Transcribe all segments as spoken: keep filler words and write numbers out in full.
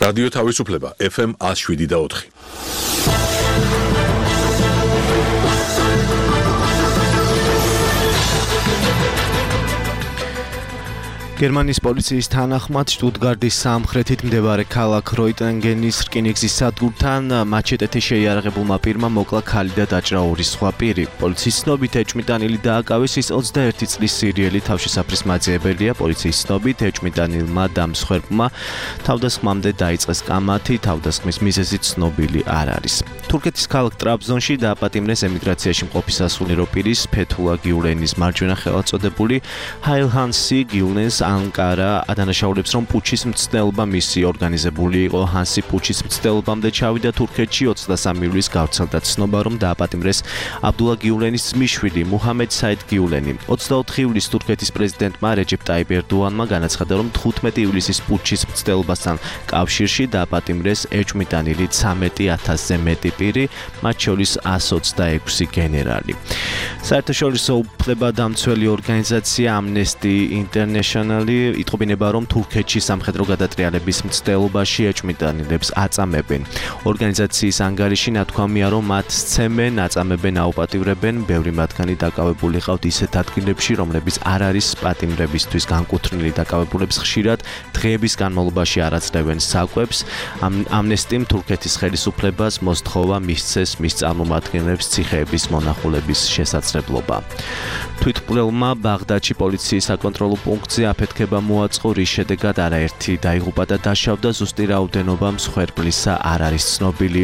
რადიო თავისუფლება ეფ ემ one oh seven და four. გერმანიის პოლიციის თანახმად შტუტგარტის სამხრეთით მდებარე ქალაქ როიტენგენის რკინიგზის სადგურთან მაჩეტეთი შეიარაღებულმა პირმა მოკლა ქალი და დაჭრა ორი სხვა პირი. პოლიციის ცნობით ეჭვმიტანილი დააკავეს, ის ოცდაერთი წლის სირიელი თავშესაფრის მაძიებელია. პოლიციის ცნობით ეჭვმიტანილმა და მსხვერპლმა თავდასხმამდე დაიწყეს კამათი, თავდასხმის მიზეზი ცნობილი არ არის. თურქეთის ქალაქ ტრაბზონში დააპატიმრეს ემიგრაციაში მყოფი სასულიერო პირის ფეთულა გიულენის მარჯვენა ხელწოდებული ჰაილჰანსი გიულენს ანკარა ადანაშაულებს, რომ პუჩის მცდელობა მისი ორგანიზებული იყო. ჰანსი პუჩის მცდელობამდე ჩავიდა თურქეთში ოცდასამი ივლისს გავრცელდა ცნობა, რომ დააპატიმრეს აბდულა გიულენის ძმისშვილი მუჰამედ საიდ გიულენი. ოცდაოთხი ივლისს თურქეთის პრეზიდენტმა რეჯეპ ტაიპ ერდოანმა განაცხადა, რომ თხუთმეტი ივლისის პუჩის მცდელობასთან კავშირში დააპატიმრეს ეჭვმიტანილი ცამეტი ათასზე მეტი პირი, მათ შორის one twenty-six გენერალი. საერთაშორისო უფლებადამცველი ორგანიზაცია Amnesty International იტყობინება, რომ თურქეთში სამხედრო გადატრიალების მცდელობაში ეჭვმიტანილებს აწამებენ. ორგანიზაციის ანგარიში ნათქვამია, რომ მათ სცემენ, აწამებენ, აუპატივრებენ. ბევრი მათგანი დაკავებული ყავთ ისეთ ადგილებში, რომლებიც არ არის პატიმრებისთვის განკუთვნილი. დაკავებულებს ხშირად დღეების განმავლობაში არ აძლევენ საკვებს. ამნესტიმ თურქეთის ხელისუფლებას მოსთხოვა მისცეს მის წარმომადგენლებს ციხეების მონახულების შესაძლებლობა. თვითმკვლელმა ბაღდადში პოლიციის საკონტროლო პუნქტზე აფეთქება მოაწყო, რის შედეგად არაერთი დაიღუპა და დაშავდა. ზუსტი რაოდენობა მსხვერპლისა არ არის ცნობილი.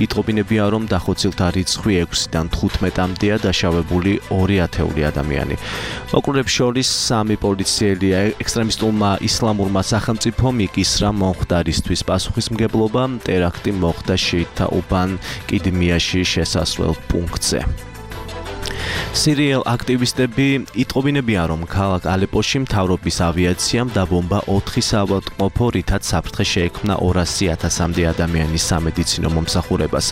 იტყობინებია, რომ დახოცილთა რიცხვი ექვსიდან თხუთმეტამდეა, დაშავებული ორი ათეული ადამიანი. მოკლულებს შორის სამი პოლიციელია. ექსტრემისტულმა ისლამურმა სახელმწიფომ იკისრა მომხდარისთვის პასუხისმგებლობა. ტერაქტი მოხდა შეითა უბან კიდმიაში შესასვლელ პუნქტზე. სირიელ აქტივისტები იტყობინებიან, რომ ქალაქ ალეპოში მთავრობის ავიაციამ დაბომბა ოთხი საავადმყოფო, რითაც საფრთხე შეექმნა ორასი ათასამდე ადამიანის სამედიცინო მომსახურებას.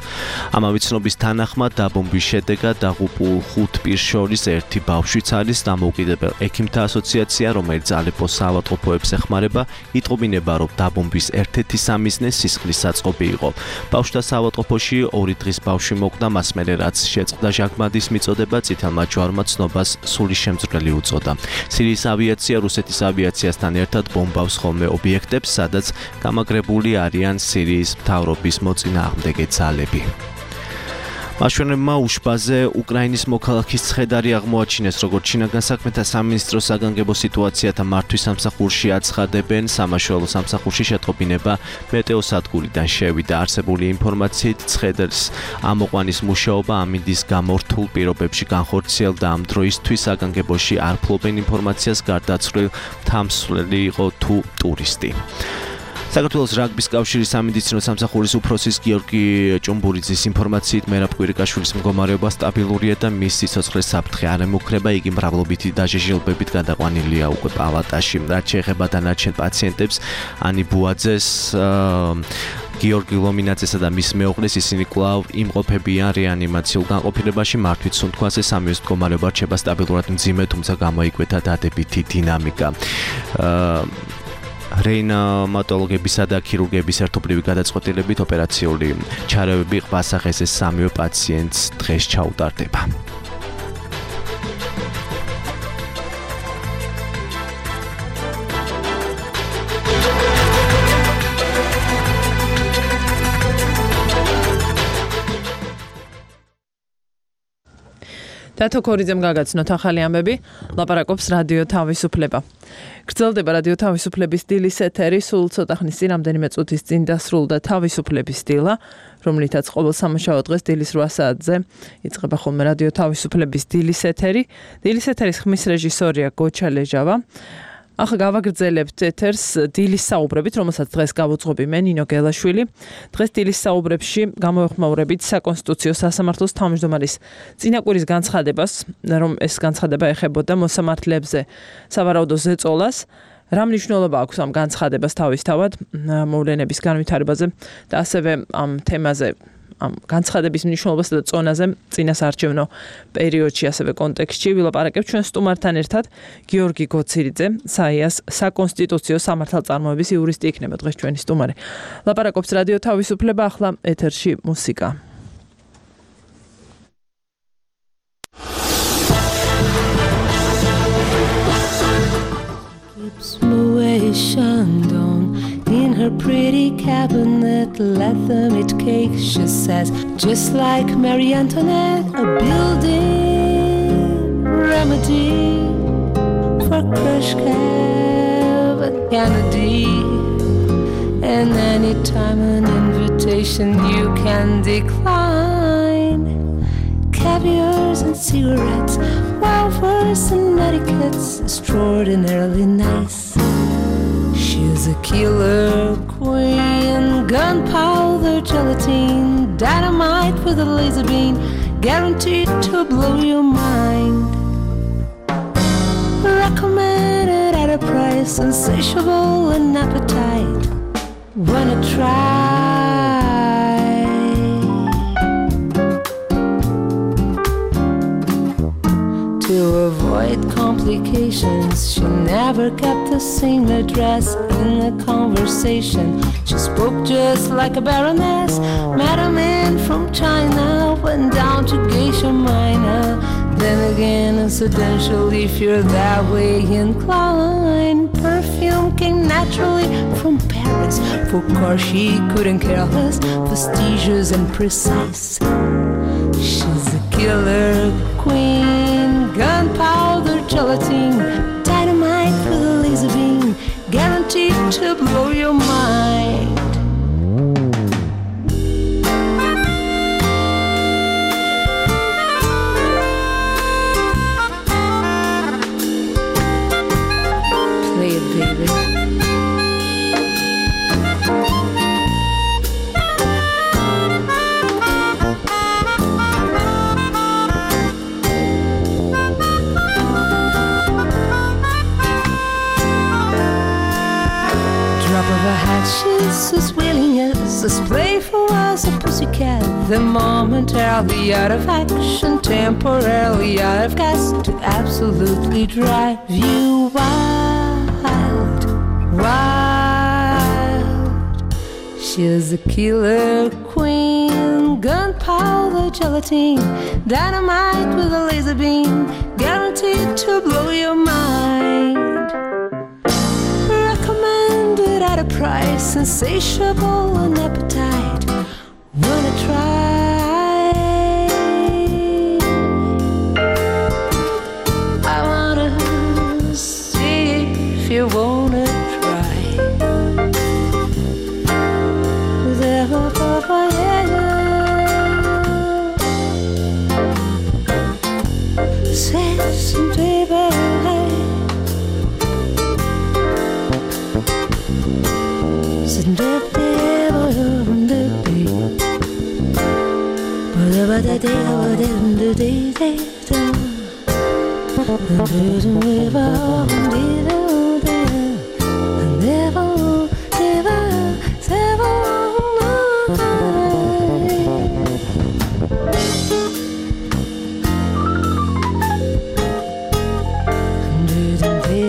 ამავე ცნობის თანახმად დაბომბვის შედეგად დაღუპულ ხუთ პირს შორის ერთი ბავშვიც არის. დამოუკიდებელ ექიმთა ასოციაცია, რომელიც ალეპოს საავადმყოფოებს ეხმარება, იტყობინება, რომ დაბომბვის ერთ-ერთი სამიზნე სისხლის საწყობი იყო. ბავშვთა საავადმყოფოში ორი დღის ბავშვი მოკვდა, მას მერე რაც შეწყდა ჟანგბადის მიწოდება, წითელმა ჯვარმა ცნობას სული შემძვრელი უწოდა. სირიის ავიაცია რუსეთის ავიაციასთან ერთად ბომბავს ხოლმე ობიექტებს, სადაც გამაგრებული არიან სირიის მთავრობის მოწინააღმდეგე ძალები. მაშვენებმა უშბაზე უკრაინის მოქალაქის ცხედარი აღმოაჩინეს, როგორც შინაგან საქმეთა სამინისტროს საგანგებო სიტუაციათა მართვის სამსახურში აცხადებენ. სამაშველო სამსახურში შეტყობინება მეტეოსადგურიდან შევიდა. არსებული ინფორმაციით ცხედრის ამოყვანის მუშაობა ამინდის გამო რთულ პირობებში განხორციელდა. ამ დროისთვის საგანგებოში არ ფლობენ ინფორმაციას, გარდაცვლილ თამსვლელი იყო თუ ტურისტი. საქართველოს რაგბის კავშირის სამედიცინო სამსახურის უფროსის გიორგი ჭუმბურიძის ინფორმაციით მერაბ კვირიკაშვილის მდგომარეობა სტაბილურია და მის სიცოცხლეს საფრთხე არ ემუქრება. იგი მრავლობითი დაჟეჟილბებით გადაყვანილია უკვე პალატაში. რაც შეეხება დანარჩენ პაციენტებს, ანი ბუაძეს, გიორგი ლომინაძესა და მის მეუღლეს, ისინი კვლავ იმყოფებიან რეანიმაციულ განყოფილებაში. მართვით სუნთქვაზე სამივეს მდგომარეობა რჩება სტაბილურად მძიმე, თუმცა გამოიკვეთა დადებითი დინამიკა. რეანიმატოლოგებისა და ქირურგების ერთობლივი გადაწყვეტილებით ოპერაციული ჩარევები ყვასახეს სამივე პაციენტს დღეს ჩაუტარდება. დათო ქორიძემ გაგაცნოთ ახალი ამბები, ლაპარაკობს რადიო თავისუფლება. გრძელდება რადიო თავისუფლების დილის ეთერი, სულ ცოტა ხნის წინ რამდენიმე წუთის წინ დასრულდა თავისუფლების დილა, რომლითაც ყოველ სამუშაო დღეს დილის რვა საათზე იწყება ხოლმე რადიო თავისუფლების დილის ეთერი. დილის ეთერის ხმის რეჟისორია გოჩა ლეჟავა. ახლა გავაგრძელებთ ეთერს დილის საუბრებით, რომელსაც დღეს გავუძღობი მე ნინო გელაშვილი. დღეს დილის საუბრებში გამოვეხმაურებით საკონსტიტუციო სასამართლოს თავმჯდომარის წინაკვირის განცხადებას, რომ ეს განცხადება ეხებოდა მოსამართლეებზე სავარაუდო ზეწოლას. რა მნიშვნელობა აქვს ამ განცხადებას თავისთავად მოვლენების განვითარებაზე და ასევე ამ თემაზე ამ განცხადების მნიშვნელობასა და წონაზე წინასაარჩევნო პერიოდში ასევე კონტექსტში ვილაპარაკებთ ჩვენ სტუმართან ერთად. გიორგი გოცირიძე, საიას საკონსტიტუციო სამართალწარმოების იურისტი იქნება დღეს ჩვენი სტუმარი. ლაპარაკობს რადიო თავისუფლება, ახლა ეთერში მუსიკა. In her pretty cabinet, let them eat cake, she says, just like Marie Antoinette, a building remedy for Khrushchev and Kennedy. And anytime an invitation you can decline, caviars and cigarettes, wafers and etiquettes, extraordinarily nice. She's a killer queen, gunpowder, gelatine, dynamite with a laser beam, guaranteed to blow your mind. Recommended at a price, insatiable and appetite. Wanna try? To avoid complications, she never kept the same address in the conversation. She spoke just like a baroness. Met a man from China, went down to Geisha Minor. Then again, incidentally, if you're that way inclined, perfume came naturally from Paris. For course, she couldn't care less, fastidious and precise. She's a killer queen, gunpowder, gelatine, dynamite with a laser beam, guaranteed to blow your mind. Play it, baby. She's as willing as as playful as a pussycat. The momentarily out of action, temporarily out of gas, to absolutely drive you wild, wild. She's a killer queen, gunpowder, gelatine, dynamite with a laser beam, guaranteed to blow your mind. At a price, insatiable and appetite. Wanna try? I wanna see if you wanna try. Say some baby.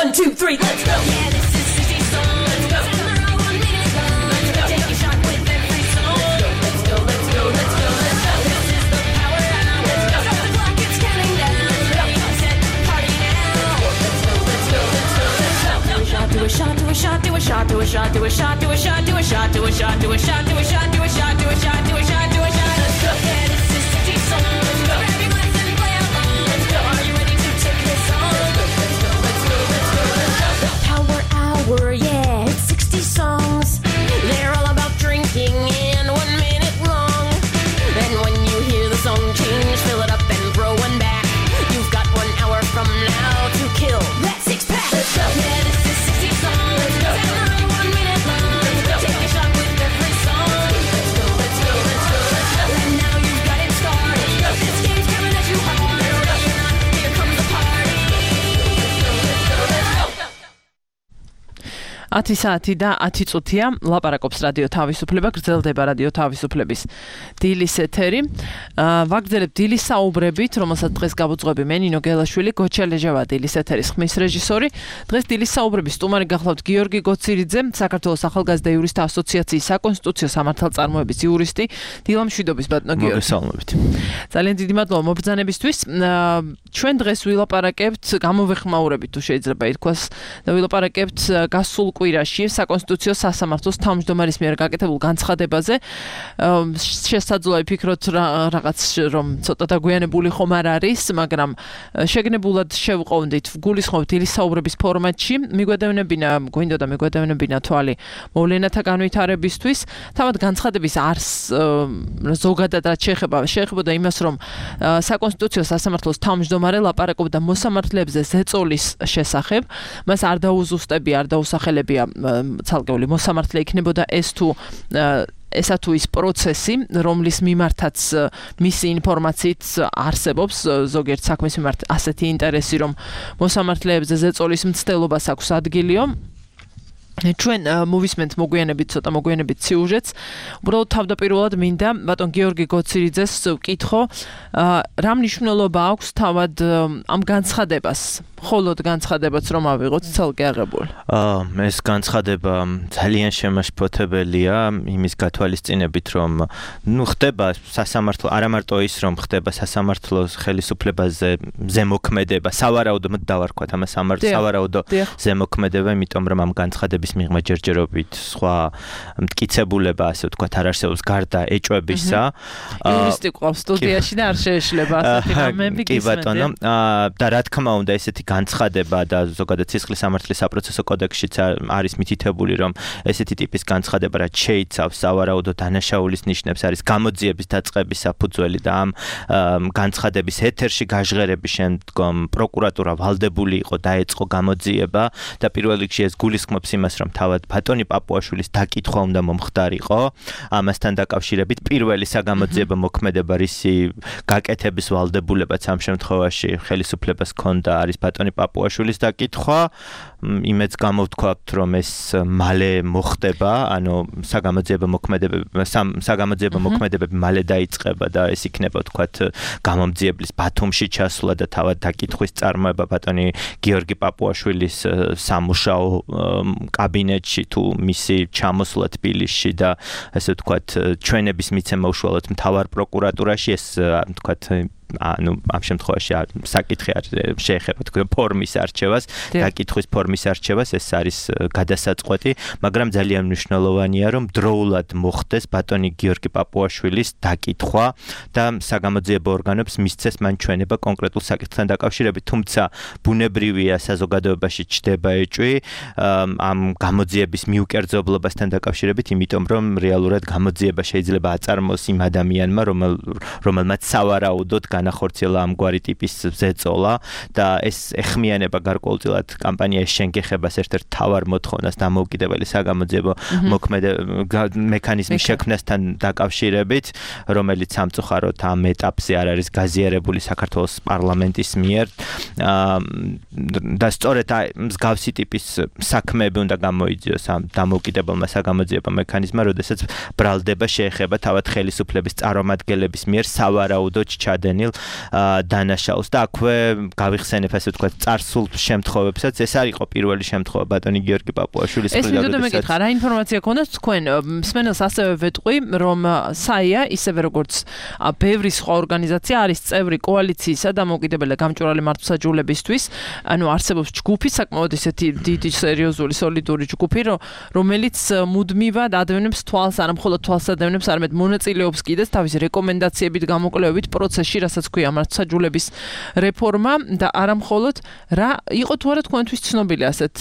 One, two, three, let's go! Yeah, this is sixty song, let's go! Tomorrow one minute long, let's go! Take a shot with every song, let's go, let's go, let's go, let's go! This is the power hour, let's go! Stop the clock, it's counting down, ready, set, party now! Let's go, let's go, let's go, let's go! Do a shot, do a shot, do a shot, do a shot, do a shot, do a shot, do a shot, do a shot, do a shot, do a shot, do a shot, do a shot, do a shot, do a shot, do a shot, let's go! Yeah, this is sixty song, let's go! Grab your glass and play along, let's go! Are you ready to take this on? Let's go, let's go, let's go, let's go! Power hour, yeah, it's sixty songs. They're all about drinking and one minute long. And when you hear the song change, fill it up and throw one back. You've got one hour from now to kill that six pack. Let's go. Yeah, this is sixty songs. Let's go. One minute long. Let's go. Take a shot with every song. Let's go, let's go, let's go. ათი საათი და ათი წუთია ლაპარაკობს რადიო თავისუფლება, გრძელდება რადიო თავისუფლების დილის ეთერი. ვაგრძელებთ დილის საუბრებით, რომელსაც დღეს გავუძღვები მე ნინო გელაშვილი, გოჩა ლეჟავა დილის ეთერის ხმის რეჟისორი. დღეს დილის საუბრების სტუმარი გახლავთ გიორგი გოცირიძე, საქართველოს ახალგაზრდა იურისტთა ასოციაციის საკონსტიტუციო სამართალწარმოების იურისტი. დილა მშვიდობის ბატონო გიორგი. მოგესალმებით. ძალიან დიდი მადლობა მობრძანებისთვის. ჩვენ დღეს ვილაპარაკებთ, გამოვეხმაურებით თუ შეიძლება ითქვას, და ვილაპარაკებთ გასულ კვირაში საკონსტიტუციო სასამართლოს თავმჯდომარის მიერ გაკეთებულ განცხადებაზე. შესაძლოა ვფიქროთ რაღაც რომ ცოტა დაგვიანებული ხომ არ არის, მაგრამ შეგნებულად შევყოვდით, გულისხმობთ დილის საუბრების ფორმატში. მიგვედევნებინა, გვინდა და მიგვედევნებინა თვალი მოვლენათა განვითარებისთვის. თავად განცხადების არს ზოგადად რაც შეეხება, შეეხებოდა იმას, რომ საკონსტიტუციო სასამართლოს თავმჯდომარე ლაპარაკობდა მოსამართლეებზე ზეწოლის შესახებ. მას არ დაუზუსტებია, არ დაუსახელებია ცალკეული მოსამართლე იქნებოდა ეს თუ ესა თუ ის პროცესი, რომლის მიმართაც მისი ინფორმაციით არსებობს ზოგიერთ საქმის მიმართ ასეთი ინტერესი, რომ მოსამართლეებზე ზეწოლის მცდელობას აქვს ადგილიო. ჩვენ მოვისმენთ მოგვიანებით ცოტა მოგვიანებით სიუჟეტს. უბრალოდ თავდაპირველად მინდა ბატონ გიორგი გოცირიძეს ვკითხო, რა მნიშვნელობა აქვს თავად ამ განცხადებას, მხოლოდ განცხადებაც რომ ავიღოთ ცალკე აღებული. აა ეს განცხადება ძალიან შემაშფოთებელია იმის გათვალისწინებით, რომ ნუ ხდება სასამართლო, არა მარტო ის რომ ხდება სასამართლოს ხელისუფლებაზე ზემოქმედება, სავარაუდოდ დავარქვათ ამას სავარაუდო ზემოქმედება, იმიტომ რომ ამ განცხადების მიღმა ჯერჯერობით სხვა მტკიცებულება, ასე ვთქვათ, არ არსებობს გარდა ეჭვებისა. იურისტი ყავს სტუდიაში და არ შეეშლება ასეთი რამეები კი ბატონო, და რა თქმა უნდა ესეთი განცხადება და ზოგადად სისხლის სამართლის საპროცესო კოდექსშიც არის მითითებული, რომ ესეთი ტიპის განცხადება რაც შეიცავს სავარაუდო დანაშაულის ნიშნებს, არის გამოძიების დაწყების საფუძველი და ამ განცხადების ეთერში გაჟღერების შემდგომ პროკურატურა ვალდებული იყო დაეწყო გამოძიება და პირველ რიგში ეს გულისხმობს იმას, რომ თავად ბატონი პაპუაშვილის დაკითხვა უნდა მომხდარიყო. ამასთან დაკავშირებით პირველი საგამოძიებო მოქმედება, რისი გაკეთების ვალდებულებაც ამ შემთხვევაში ხელისუფლებას ჰქონდა, არის ბატონი პაპუაშვილის დაკითხვა. იმედს გამოვთქვათ, რომ ეს მალე მოხდება, ანუ საგამოძიებო მოქმედებები საგამოძიებო მოქმედებები მალე დაიწყება და ეს იქნება ვთქვათ გამომძიებლის ბათუმში ჩასვლა და თავად დაკითხვის წარმოება ბატონი გიორგი პაპუაშვილის სამუშაო კაბინეტში თუ მისი ჩამოსვლა თბილისში და ესე ვთქვათ ჩვენების მიცემა უშუალოდ მთავარ პროკურატურაში, ეს ვთქვათ ანუ ამ შემთხვევაში საკითხი არ შეეხება თქვენ ფორმის არჩევას, დაკითხვის ფორმის არჩევას, ეს არის გადასაწყვეტი, მაგრამ ძალიან მნიშვნელოვანია, რომ დროულად მოხდეს ბატონი გიორგი პაპუაშვილის დაკითხვა და საგამოძიებო ორგანოებს მისცეს მან ჩვენება კონკრეტულ საკითხთან დაკავშირებით, თუმცა ბუნებრივია საზოგადოებაში ჩდება ეჭვი ამ გამოძიების მიუკერძებლობასთან დაკავშირებით, იმიტომ რომ რეალურად გამოძიება შეიძლება აწარმოოს იმ ადამიანმა, რომელმაც სავარაუდოდ განახორციელა ამგვარი ტიპის ზეწოლა და ეს ეხმიანება გარკვეულწილად კამპანიის შენგეხებას ერთ-ერთ თავარ მოთხოვნას დამოუკიდებელი საგამოძიებო მოქმედება მექანიზმის შექმნასთან დაკავშირებით, რომელიც სამწუხაროდ ამ ეტაპზე არ არის გაზიარებული საქართველოს პარლამენტის მიერ და სწორედ მსგავსი ტიპის საქმეები უნდა გამოიძიოს ამ დამოუკიდებელმა საგამოძიებო მექანიზმმა, როდესაც ბრალდება შეეხება თავად ხელისუფლების წარმომადგენლების მიერ სავარაუდოდ ჩადენილ დანაშაულს და აქვე გავიხსენებ ასე ვთქვათ წარსულ შემთხვევებსაც. ეს არ იყო პირველი შემთხვევა ბატონი გიორგი პაპუაშვილის ეს მინდოდა მეკითხა, რა ინფორმაცია გქონდათ თქვენ? მსმენელს ასევე ვეტყვი, რომ საია, ისევე როგორც ბევრი სხვა ორგანიზაცია არის წევრი კოალიციისა დამოუკიდებელი გამჭვირვალე მართლმსაჯულებისთვის, ანუ არსებობს ჯგუფი, საკმაოდ ისეთი დიდი, სერიოზული, სოლიდური ჯგუფი, რომელიც მუდმივად ადევნებს თვალს, არა მხოლოდ თვალს ადევნებს, არამედ მონაწილეობს კიდეც თავის რეკომენდაციებით გამოკვლევებით პროცესში, რასაც ქვია მართლმსაჯულების რეფორმა და არა მხოლოდ რა იყო თუ არა თქვენთვის ცნობილი ასეთ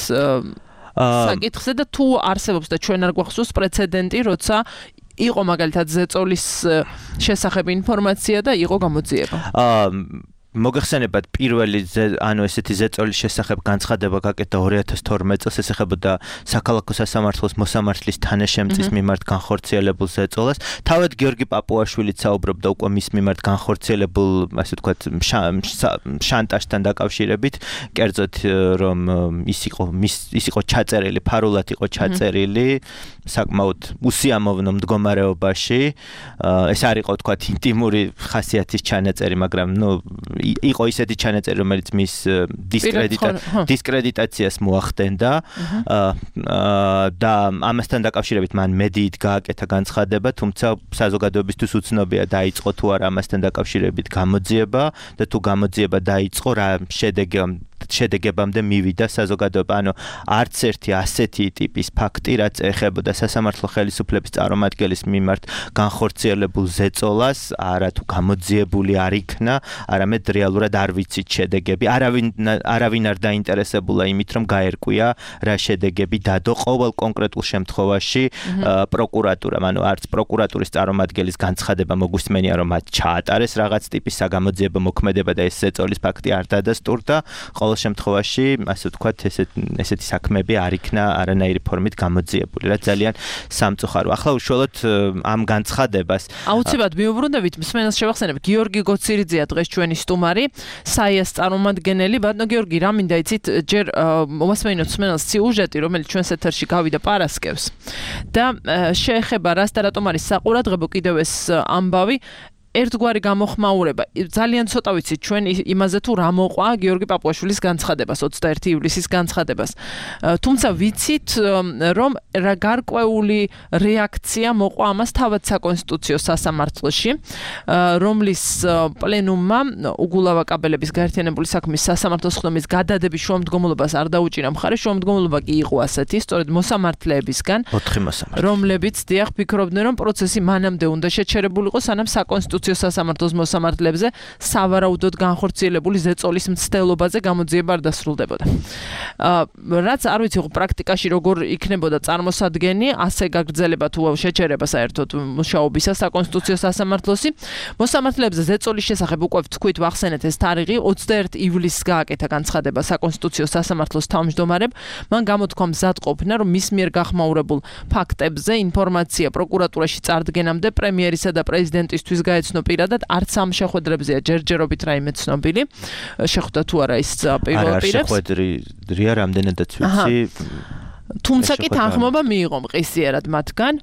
საკითხზე და თუ არსებობს და ჩვენ არ გვახსოვს პრეცედენტი, როცა იყო მაგალითად ზეწოლის შესახებ ინფორმაცია და იყო გამოძიება. მოგეხსენებათ პირველი ანუ ესეთი ზეწოლის შესახებ განცხადება გაკეთდა ორი ათას თორმეტ წელს, ეს ეხებოდა საქალაქო სასამართლოს მოსამართლის თანაშემწის მიმართ განხორციელებულ ზეწოლას. თავად გიორგი პაპუაშვილიც საუბრობდა უკვე მის მიმართ განხორციელებულ, ასე ვთქვათ, შანტაჟთან დაკავშირებით, კერძოდ რომ ის იყო ის იყო ჩაწერილი, ფარულად იყო ჩაწერილი საკმაოდ უსიამოვნო მდგომარეობაში. ეს არ იყო ვთქვათ ინტიმური ხასიათის ჩანაწერი, მაგრამ ნუ იყო ისეთი ჩანაწერი, რომელიც მის დისკრედიტაციას მოახდენდა და ამასთან დაკავშირებით მან მედიით გააკეთა განცხადება, თუმცა საზოგადოებისთვის უცნობია დაიწყო თუ არა ამასთან დაკავშირებით გამოძიება და თუ გამოძიება დაიწყო რა შედეგი შედეგებამდე მივიდა საზოგადოება. ანუ არც ერთი ასეთი ტიპის ფაქტი, რაც ეხებოდა სასამართლო ხელისუფლების წარმომადგენლის მიმართ განხორციელებულ ზეწოლას, არა თუ გამოძიებული არ იქნა, არამედ რეალურად არ ვიცით შედეგები. არავინ არავინ არ დაინტერესებულა იმით, რომ გაერკვია რა შედეგები დადო ყოველ კონკრეტულ შემთხვევაში პროკურატურამ. ანუ არც პროკურატურის წარმომადგენლის განცხადება მოგვისმენია, რომ მათ ჩაატარეს რაღაც ტიპის საგამოძიებო მოქმედება და ეს ზეწოლის ფაქტი არ დადასტურდა. ყოველ შემთხვევაში, ასე ვთქვათ, ესეთ ესეთი საქმეები არ იქნა არანაირი ფორმით გამოძიებული, რაც ძალიან სამწუხარო. ახლა უშუალოდ ამ განცხადებას აუცილებლად მიუბრუნდებით, მსმენელს შევახსენებ, გიორგი გოცირიძეა დღეს ჩვენი სტუმარი, საიას წარმომადგენელი. ბატონო გიორგი, რა მინდა იცით, ჯერ მომასმენინოთ მსმენელს სიუჟეტი, რომელიც ჩვენს ეთერში გავიდა პარასკევს და შეეხება რას და რატომ არის საყურადღებო კიდევ ეს ამბავი. ერთგვარი გამოხმაურება. ძალიან ცოტა ვიცით ჩვენ იმაზე თუ რა მოყვა გიორგი პაპუაშვილის განცხადებას, ოცდაერთი ივლისის განცხადებას. თუმცა ვიცით, რომ რა გარკვეული რეაქცია მოყვა ამას თავად საკონსტიტუციო სასამართლოში, რომლის პლენუმმა უგულავა კაბელების გაერთიანებული საქმის სასამართლოს ხდომის გადადების შუამდგომლობას არ დაუჭირა მხარი, შუამდგომლობა კი იყო ასეთი, სწორედ მოსამართლეებისგან, ოთხი მოსამართლე, რომლებიც დიახ ფიქრობდნენ, რომ პროცესი მანამდე უნდა შეჩერებულიყო, სანამ საკონსტიტუციო სასამართლოს მოსამართლეებზე სავარაუდოდ განხორციელებული ზეწოლის მცდელობაზე გამოძიება არ დასრულდებოდა. რაც არ ვიცი, პრაქტიკაში როგორ იქნებოდა წარმოსადგენი, ასე გაგრძელება თუ შეჩერება საერთოდ მუშაობისა საკონსტიტუციო სასამართლოსი. მოსამართლეებზე ზეწოლის შესახებ უკვე ვთქვით, ვახსენეთ ეს თარიღი, ოცდაერთი ივლისს გააკეთა განცხადება საკონსტიტუციო სასამართლოს თავმჯდომარემ. მან გამოთქვა მზადყოფნა, რომ მის მიერ გახმაურებულ ფაქტებზე ინფორმაცია პროკურატურაში წარდგენამდე პრემიერისა და პრეზიდენტისთვის გაეცნო პირადად, არც ამ შეხვედრებზეა ჯერჯერობით რაიმე ცნობილი. შეხვდა თუ არა ის პირველ პირებს? არა, შეხვედრია რამდენადაც ვიცი. თუმცა კი თანხმობა მიიღო მყისიერად მათგან.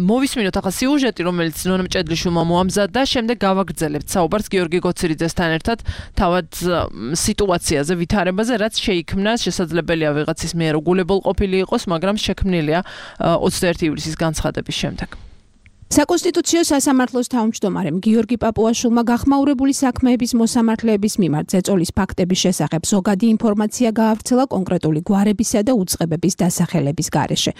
მოვისმინოთ ახლა სიუჟეტი, რომელიც ნონა მჭედლიშვილმა მოამზადა, შემდეგ გავაგრძელებთ საუბარს გიორგი გოცირიძესთან ერთად თავად სიტუაციაზე, ვითარებაზე, რაც შეიქმნა, შესაძლებელია ვიღაცის მიერ უგულებელ ყოფილი იყოს, მაგრამ შექმნილია ოცდაერთი ივლისის განცხადების შემდეგ. საკონსტიტუციო სასამართლოს თავმჯდომარემ გიორგი პაპუაშვილმა გახმაურებული საქმეების მოსამართლეების მიმართ ზეწოლის ფაქტების შესახებ ზოგადი ინფორმაცია გაავრცელა კონკრეტული გვარებისა და უწყებების დასახელების გარეშე.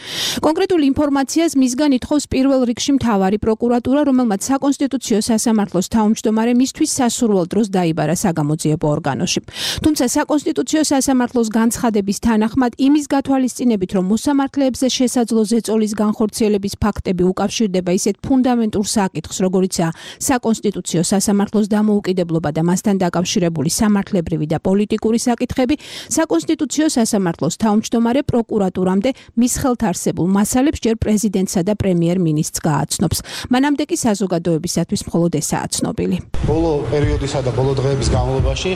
კონკრეტულ ინფორმაციას მისგან ითხოვს პირველ რიგში მთავარი პროკურატურა, რომელმაც საკონსტიტუციო სასამართლოს თავმჯდომარე მისთვის სასურველ დროს დაიბარა საგამოძიებო ორგანოში. თუმცა საკონსტიტუციო სასამართლოს განცხადების თანახმად იმის გათვალისწინებით, რომ მოსამართლეებზე შესაძლო ზეწოლის განხორციელების ფაქტები უკავშირდება ისეთ ფუნდამენტურ საკითხს, როგორიცაა საკონსტიტუციო სასამართლოს დამოუკიდებლობა და მასთან დაკავშირებული სამართლებრივი და პოლიტიკური საკითხები, საკონსტიტუციო სასამართლოს თავმჯდომარე პროკურატურამდე მის ხელთ არსებულ მასალებს ჯერ პრეზიდენტსა და პრემიერ-მინისტრს გააცნობს. მანამდე კი საზოგადოებისათვის მხოლოდ ესაა ცნობილი. ბოლო პერიოდისა და ბოლო დღეების განმავლობაში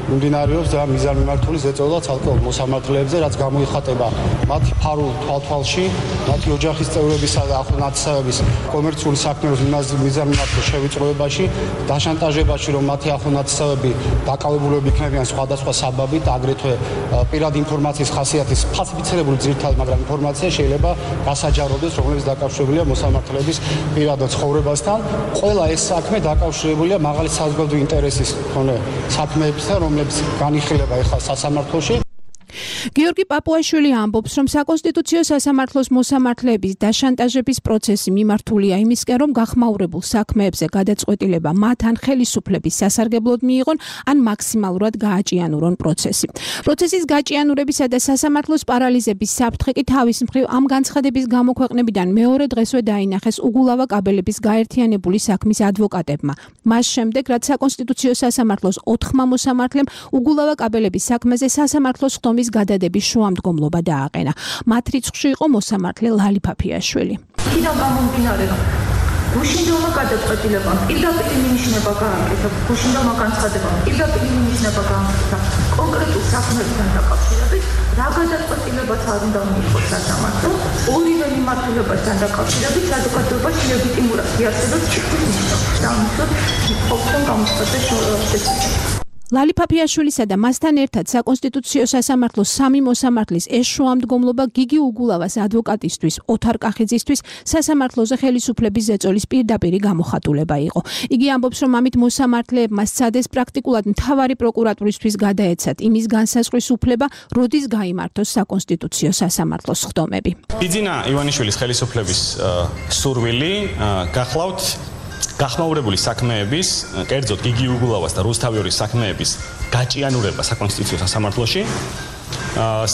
მიმდინარეობს და მიზანმიმართული ზეწოლა ცალკეულ მოსამართლეებზე, რაც გამოიხატება მათი ფარულ თვალთვალში, მათი ოჯახის წევრებისა და ახლო ნათესავების კომერციული საქმეების მიზანმიმართულ შევიწროებაში, დაშანტაჟებაში, რომ მათი ახლო ნათესავები დაკავებულები იქნებიან სხვადასხვა საბაბით, აგრეთვე პირადი ინფორმაციის ხასიათის ფალსიფიცირებული ძირითადი, მაგრამ ინფორმაცია შეიძლება გასაჯაროდეს, რომელიც დაკავშირებულია მოსამართლეების პირად ცხოვრებასთან. ყველა ეს საქმე დაკავშირებულია მაღალი საზოგადოებრივი ინტერესის მქონე საქმეებთან, რომლებიც განიხილება ეხლა სასამართლოში. გიორგი პაპუაშვილი ამბობს, რომ საკონსტიტუციო სასამართლოს მოსამართლეების დაშანტაჟების პროცესი მიმართულია იმისკენ, რომ გახმაურებულ საქმეებზე გადაწყვეტილება მათ ან ხელისუფლების სასარგებლოდ მიიღონ, ან მაქსიმალურად გააჭიანურონ პროცესი. პროცესის გაჭიანურებისა და სასამართლოს პარალიზების საფრთხე კი თავის მხრივ ამ განცხადების გამოქვეყნებიდან მეორე დღესვე დაინახეს უგულავა კაბელების გაერთიანებული საქმის ადვოკატებმა. მას შემდეგ, რაც საკონსტიტუციო სასამართლოს ოთხმა მოსამართლემ უგულავა კაბელების საქმეზე სასამართლოს ხდომის გადადების შუამდგომლობა დააყენა. მათ რიცხვში იყო მოსამართლე ლალი ფაფიაშვილი. იქიდან გამომდინარე, რომ გუშინდელმა გადაწყვეტილებამ პირდაპირ მინიშნება გააკეთა, გუშინდელმა განცხადებამ პირდაპირ მინიშნება გააკეთა კონკრეტულ საქმესთან დაკავშირებით, რა გადაწყვეტილებაც არ უნდა მიიღოს სასამართლო, ორივე მიმართულებასთან დაკავშირებით საზოგადოებაში ლეგიტიმურად იარსებებს ჭირს ნიშნავს. და ამიტომ ყოფნა გამოცხადდა შესაძლებელი. ლალი ფაფიაშვილისა და მასთან ერთად საკონსტიტუციო სასამართლოს სამი მოსამართლის ეს შუამდგომლობა გიგი უგულავას ადვოკატისთვის, ოთარ კახიძისთვის სასამართლოზე ხელისუფლების ზეწოლის პირდაპირი გამოხატულება იყო. იგი ამბობს, რომ ამით მოსამართლეებმა სცადეს პრაქტიკულად მთავარი პროკურატურისთვის გადაეცათ იმის განსაზღვრის უფლება, როდის გაიმართოს საკონსტიტუციო სასამართლოს ხდომები. იძინა ივანიშვილის ხელისუფლების სურვილი გახლავთ გახმაურებული საქმეების, კერძოდ გიგი უგულავას და რუსთავიორის საქმეების გაჭიანურება საკონსტიტუციო სასამართლოში.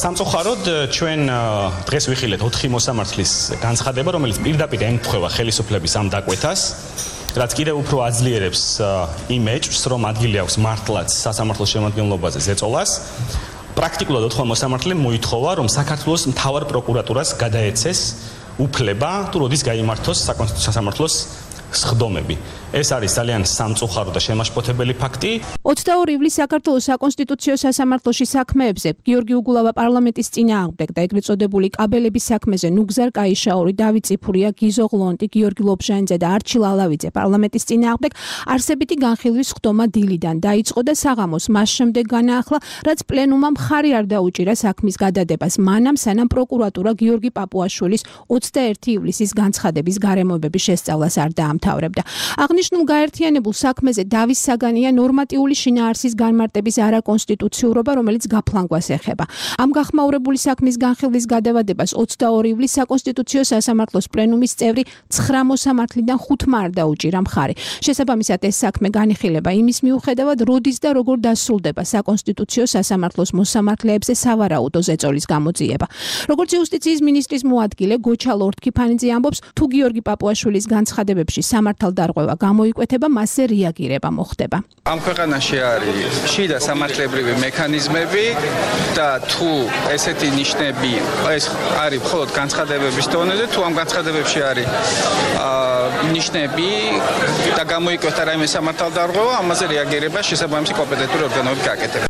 სამწუხაროდ ჩვენ დღეს ვიხილეთ ოთხი მოსამართლის განცხადება, რომელიც პირდაპირ ემთხვევა ხელისუფლების ამ დაკვეთას, რაც კიდევ უფრო აძლიერებს იმ ეჭვს, რომ ადგილი აქვს მართლაც სასამართლოს შემადგენლობაზე ზეწოლას. პრაქტიკულად ოთხმა მოსამართლემ მოითხოვა, რომ საქართველოს მთავარ პროკურატურას გადაეცეს უფლება, თუ როდის გაიმართოს საკონსტიტუციო სასამართლოს ხდომები. ეს არის ძალიან სამწუხარო და შემაშფოთებელი ფაქტი. ოცდაორი ივლისს საქართველოს საკონსტიტუციო სასამართლოში საქმეებზე გიორგი უგულავა პარლამენტის წინააღმდეგ და ეგრეთ წოდებული კაბელების საქმეზე ნუგზარ კაიშაური, დავით წიფურია, გიზო ღლონტი, გიორგი ლობჟანიძე და არჩილ ალავიძე პარლამენტის წინააღმდეგ არსებითი განხილვის ხდომა დილიდან დაიწყო და საღამოს მას შემდეგ განაახლა, რაც პლენუმმა მხარი არ დაუჭირა საქმის გადადებას, მანამ სანამ პროკურატურა გიორგი პაპუაშვილის ოცდაერთი ივლისის განცხადების გარემოებების შესწავლას არ დაამთავრებდა. აღნიშნულ გაერთიანებულ საქმეზე დავის საგანია ნორმატიული შინაარსის განმარტების არაკონსტიტუციურობა, რომელიც გაფლანგვას ეხება. ამ გახმაურებული საქმის განხილვის გადავადებას ოცდაორი ივლისს საკონსტიტუციო სასამართლოს პლენუმის წევრი ცხრა მოსამართლიდან ხუთმა არ დაუჭირა მხარი. შესაბამისად, ეს საქმე განიხილება იმის მიუხედავად, როდის და როგორ დასრულდება საკონსტიტუციო სასამართლოს მოსამართლეებზე სავარაუდო ზეწოლის გამოძიება. როგორც იუსტიციის მინისტრის მოადგილე გოჩა ლორთქიფანიძე ამბობს, თუ გიორგი პაპუაშვილის განცხადებებში სამართალდარღვევა გამოიკვეთება, მასზე რეაგირება მოხდება. ამ ქვეყანაში არის შიდა სამართლებრივი მექანიზმები და თუ ესეთი ნიშნები ეს არის მხოლოდ განცხადებების დონეზე, თუ ამ განცხადებებში არის ნიშნები და გამოიკვეთა რაიმე სამართალდარღვევა, ამაზე რეაგირება შესაბამისი კომპეტენტური ორგანოები გააკეთებენ.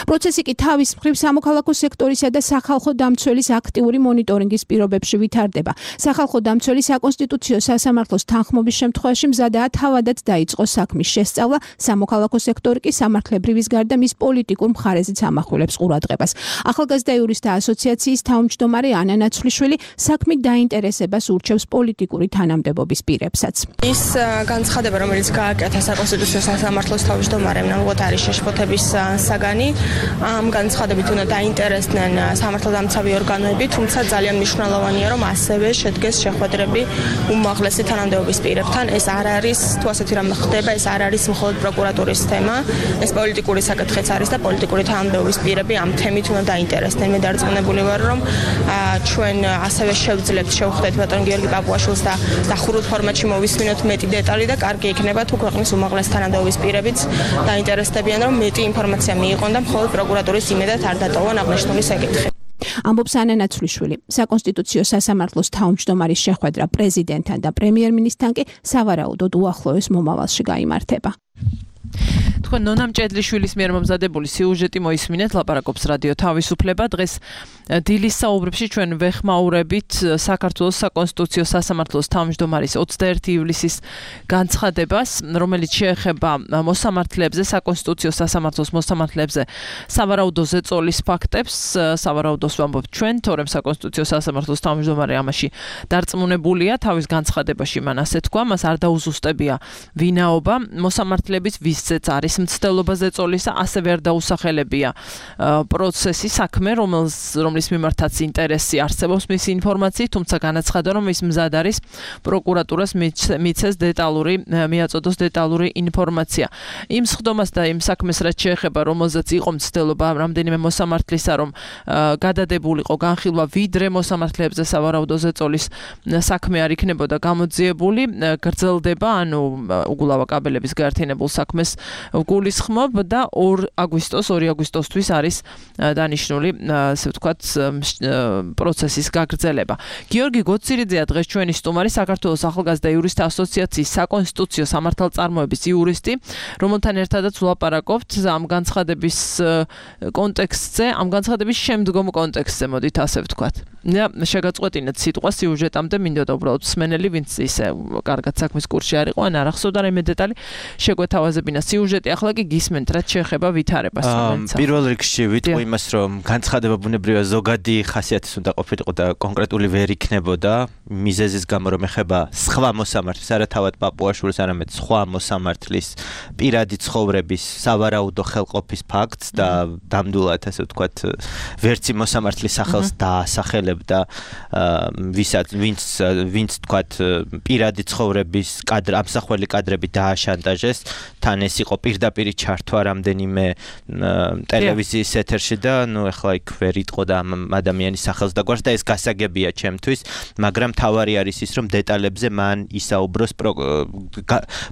პროცესი კი თავის მხრივ სამოქალაქო სექტორისა და სახალხო დამცველის აქტიური მონიტორინგის პირობებში ვითარდება. სახალხო დამცველი საკონსტიტუციო სასამართლოს თანხმობის შემთხვევაში მზადაა თავადაც დაიწყოს საქმის შესწავლა, სამოქალაქო სექტორი კი სამართლებრივის გარდა მის პოლიტიკურ მხარეზეც ამახვილებს ყურადღებას. ახალგაზრდა იურისტთა ასოციაციის თავმჯდომარე ანა ნაცვლიშვილი საქმით დაინტერესებას ურჩევს პოლიტიკური თანამდებობის პირებსაც. ის განცხადება, რომელიც გააკეთა საკონსტიტუციო სასამართლოს თავმჯდომარემ, ნამდვილად არის შეშფოთების საგანი. ამ განცხადებით უნდა დაინტერესდნენ სამართალდამცავი ორგანოები, თუმცა ძალიან მნიშვნელოვანია, რომ ასევე შედგეს შეხვედრები უმაღლესი თანამდებობის პირებთან. ეს არ არის, თუ ასეთი რამე ხდება, ეს არ არის მხოლოდ პროკურატურის თემა, ეს პოლიტიკური საკითხიც არის და პოლიტიკური თანამდებობის პირები ამ თემით უნდა დაინტერესდნენ. მე დარწმუნებული ვარ, რომ ჩვენ ასევე შევძლებთ შევხვდეთ ბატონ გიორგი პაპუაშვილს და დახურულ ფორმატში მოვისმინოთ მეტი დეტალი და კარგი იქნება, თუ ქვეყნის უმაღლესი თანამდებობის პირებიც დაინტერესდებიან, რომ მეტი ინფორმაცია მიიღონ და მხოლოდ პროკურატურის იმედად არ დატოვონ აღნიშნული საკითხი. ამბობს ანა ნაცვლიშვილი. საკონსტიტუციო სასამართლოს თავმჯდომარის შეხვედრა პრეზიდენტთან და პრემიერ-მინისტრთან კი სავარაუდოდ უახლოეს მომავალში გაიმართება. თქვენ ნონა მჭედლიშვილის მიერ მომზადებული სიუჟეტი მოისმინეთ, ლაპარაკობს რადიო თავისუფლება. დღეს დილის საუბრებში ჩვენ ვეხმაურებით საქართველოს საკონსტიტუციო სასამართლოს თავმჯდომარის ოცდაერთი ივლისის განცხადებას, რომელიც შეეხება მოსამართლეებზე, საკონსტიტუციო სასამართლოს მოსამართლეებზე სავარაუდო ზეწოლის ფაქტებს. სავარაუდოს ვამბობთ ჩვენ, თორემ საკონსტიტუციო სასამართლოს თავმჯდომარე ამაში დარწმუნებულია, თავის განცხადებაში მან ასე თქვა, მას არ დაუზუსტებია ვინაობა, მოსამართლეების ვის ისიც არის მცდელობა ზეწოლისა, ასევე არ დაუსახელებია პროცესი, საქმე, რომლის მიმართაც ინტერესი არსებობს მისი ინფორმაციით, თუმცა განაცხადა, რომ ის მზად არის პროკურატურას მიცეს დეტალური, მიაწოდოს დეტალური ინფორმაცია. იმ სხდომას და იმ საქმეს რაც შეეხება, რომელზეც იყო მცდელობა რამდენიმე მოსამართლისა, რომ გადადებულიყო განხილვა ვიდრე მოსამართლეებზე სავარაუდო ზეწოლის საქმე არ იქნებოდა გამოძიებული, გრძელდება, ანუ უგულავა კაბელების გაერთიანებულ საქმეს გულისხმობ და ორ აგვისტოს, ორი აგვისტოსთვის არის დანიშნული, ასე ვთქვათ, პროცესის გაგრძელება. გიორგი გოცირიძეა დღეს ჩვენი სტუმარი, საქართველოს ახალგაზრდა იურისტთა ასოციაციის საკონსტიტუციო სამართალწარმოების იურისტი, რომელთან ერთადაც ვლაპარაკობთ ამ განცხადების კონტექსტზე, ამ განცხადების შემდგომ კონტექსტზე, მოდით ასე ვთქვათ. და შეგაწყვეტინეთ სიტყვა სიუჟეტამდე, მინდოდა უბრალოდ მსმენელი, ვინც ისე კარგად საქმის კურსში არ იყო, ან არ ახსოვდა რაიმე დეტალი, შეგვეთავაზებინა სიუჟეტი, ახლა კი გისმენთ, რაც შეეხება ვითარებას. პირველ რიგში ვიტყვი იმას, რომ განცხადება ბუნებრივია ზოგადი ხასიათის უნდა ყოფილიყო და კონკრეტული ვერ იქნებოდა, მიზეზის გამო რომ ეხება სხვა მოსამართლის, არა თავად პაპუაშვილის, არამედ სხვა მოსამართლის პირადი ცხოვრების სავარაუდო ხელყოფის ფაქტს და დამდულად, ასე ვთქვათ, ვერცი მოსამართლის სახელს დაასახელებ და ვისაც ვინც ვინც თქვათ პირადი ცხოვრების კადრ ამსახველი კადრები დააშანტაჟეს, თან ეს იყო პირდაპირი ჩართვა რამდენიმე ტელევიზიის ეთერში და ნუ ეხლა იქ ვერ იტყოდა ამ ადამიანის სახელს და გვარს და ეს გასაგებია ჩემთვის, მაგრამ თავარი არის ის, რომ დეტალებზე მან ისაუბროს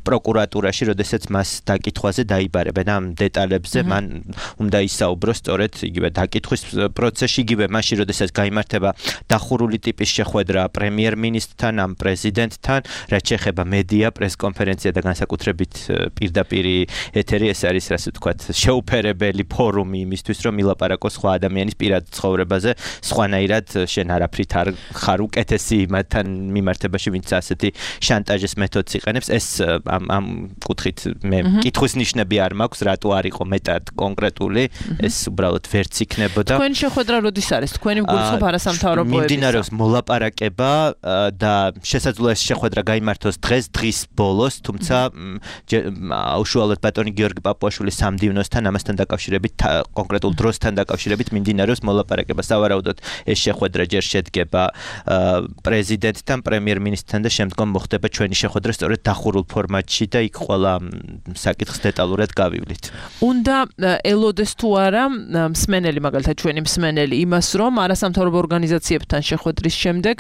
პროკურატურაში, როდესაც მას დაკითხვაზე დაიბარებენ. ამ დეტალებზე მან უნდა ისაუბროს სწორედ იგივე დაკითხვის პროცესში, იგივე მაშინ, როდესაც გაიმართება დახურული ტიპის შეხვედრა პრემიერ-მინისტრთან, ამ პრეზიდენტთან, რაც შეეხება მედია, პრესკონფერენცია და განსაკუთრებით პირდაპირი ეთერი, ეს არის, ასე ვთქვათ, შეუფერებელი ფორუმი იმისთვის, რომ ილაპარაკოს სხვა ადამიანის პირად ცხოვრებაზე, სხვანაირად შენ არაფრით არ ხარ უკეთესი მათთან მიმართებაში, ვინც ასეთი შანტაჟის მეთოდს იყენებს. ეს ამ ამ კუთხით მე კითხვის ნიშნები არ მაქვს, რატო არ იყო მეტად კონკრეტული, ეს უბრალოდ ვერც იქნებოდა. თქვენი შეხვედრა როდის არის? თქვენი გულისხმობ არასამთავრობოებისა? მიმდინარეობს მოლაპარაკება და შესაძლოა ეს შეხვედრა გაიმართოს დღეს, დღის ბოლოს, თუმცა უშუალოდ ბატონი გიორგი პაპუაშვილის სამდივნოსთან, ამასთან დაკავშირებით, კონკრეტულ დროსთან დაკავშირებით მიმდინარეობს მოლაპარაკება. სავარაუდოდ ეს შეხვედრა ჯერ შედგება პრეზიდენტთან, პრემიერ-მინისტრთან და შემდგომ მოხდება ჩვენი შეხვედრა სწორედ დახურულ ფორმატში და იქ ყველა საკითხს დეტალურად გავივლით. უნდა ელოდეს თუ არა მსმენელი, მაგალითად ჩვენი მსმენელი იმას, რომ არასამთავრობო ორგანიზაციებთან შეხვედრის შემდეგ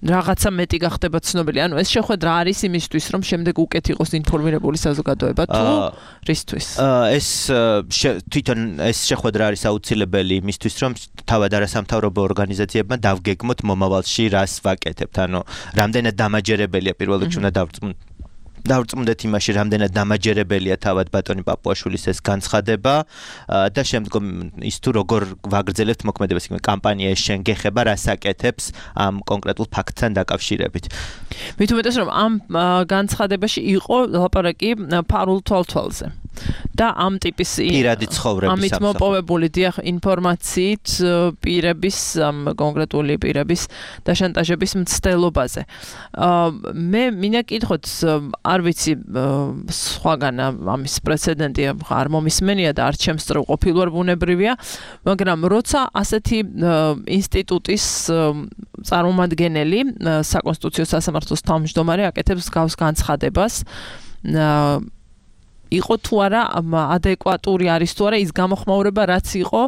რაღაცა მეტი გახდება ცნობილი. ანუ ეს შეხვედრა არის იმისთვის, რომ შემდეგ უკეთ იყოს ინფორმირებული საზოგადოება თუ რისთვის? ეს თვითონ ეს შეხვედრა არის აუცილებელი იმისთვის, რომ თავად არასამთავრობო ორგანიზაციებმა დავგეგმოთ მომავალში რას ვაკეთებთ. ანუ რამდენად დამაჯერებელია პირველ რიგში უნდა დავწმუნდეთ დავწმუნდეთ იმაში, რამდენად დამაჯერებელია თავად ბატონი პაპუაშვილის ეს განცხადება და შემდგომ ის თუ როგორ ვაგრძელებთ მოქმედებას, იქნება კამპანია ეს შენ გეხება, რას აკეთებს ამ კონკრეტულ ფაქტთან დაკავშირებით. მით უმეტეს, რომ ამ განცხადებაში იყო ლაპარაკი ფარულ თვალთვალზე. და ამ ტიპის პირადი ცხოვრების ამით მოპოვებული დიახ ინფორმაციით პირების კონკრეტული პირების და შანტაჟების მცდელობაზე. მე მინდა კითხოთ, არ ვიცი სხვაგან ამის პრეცედენტი არ მომისმენია და არ ჩემსწრევ ყოფილვარ ბუნებრივია, მაგრამ როცა ასეთი ინსტიტუტის წარმომადგენელი საკონსტიტუციო სასამართლოს თავმჯდომარე აკეთებს გავს განცხადებას, იყო თუ არა ადეკვატური არის თუ არა ის გამოხმაურება რაც იყო,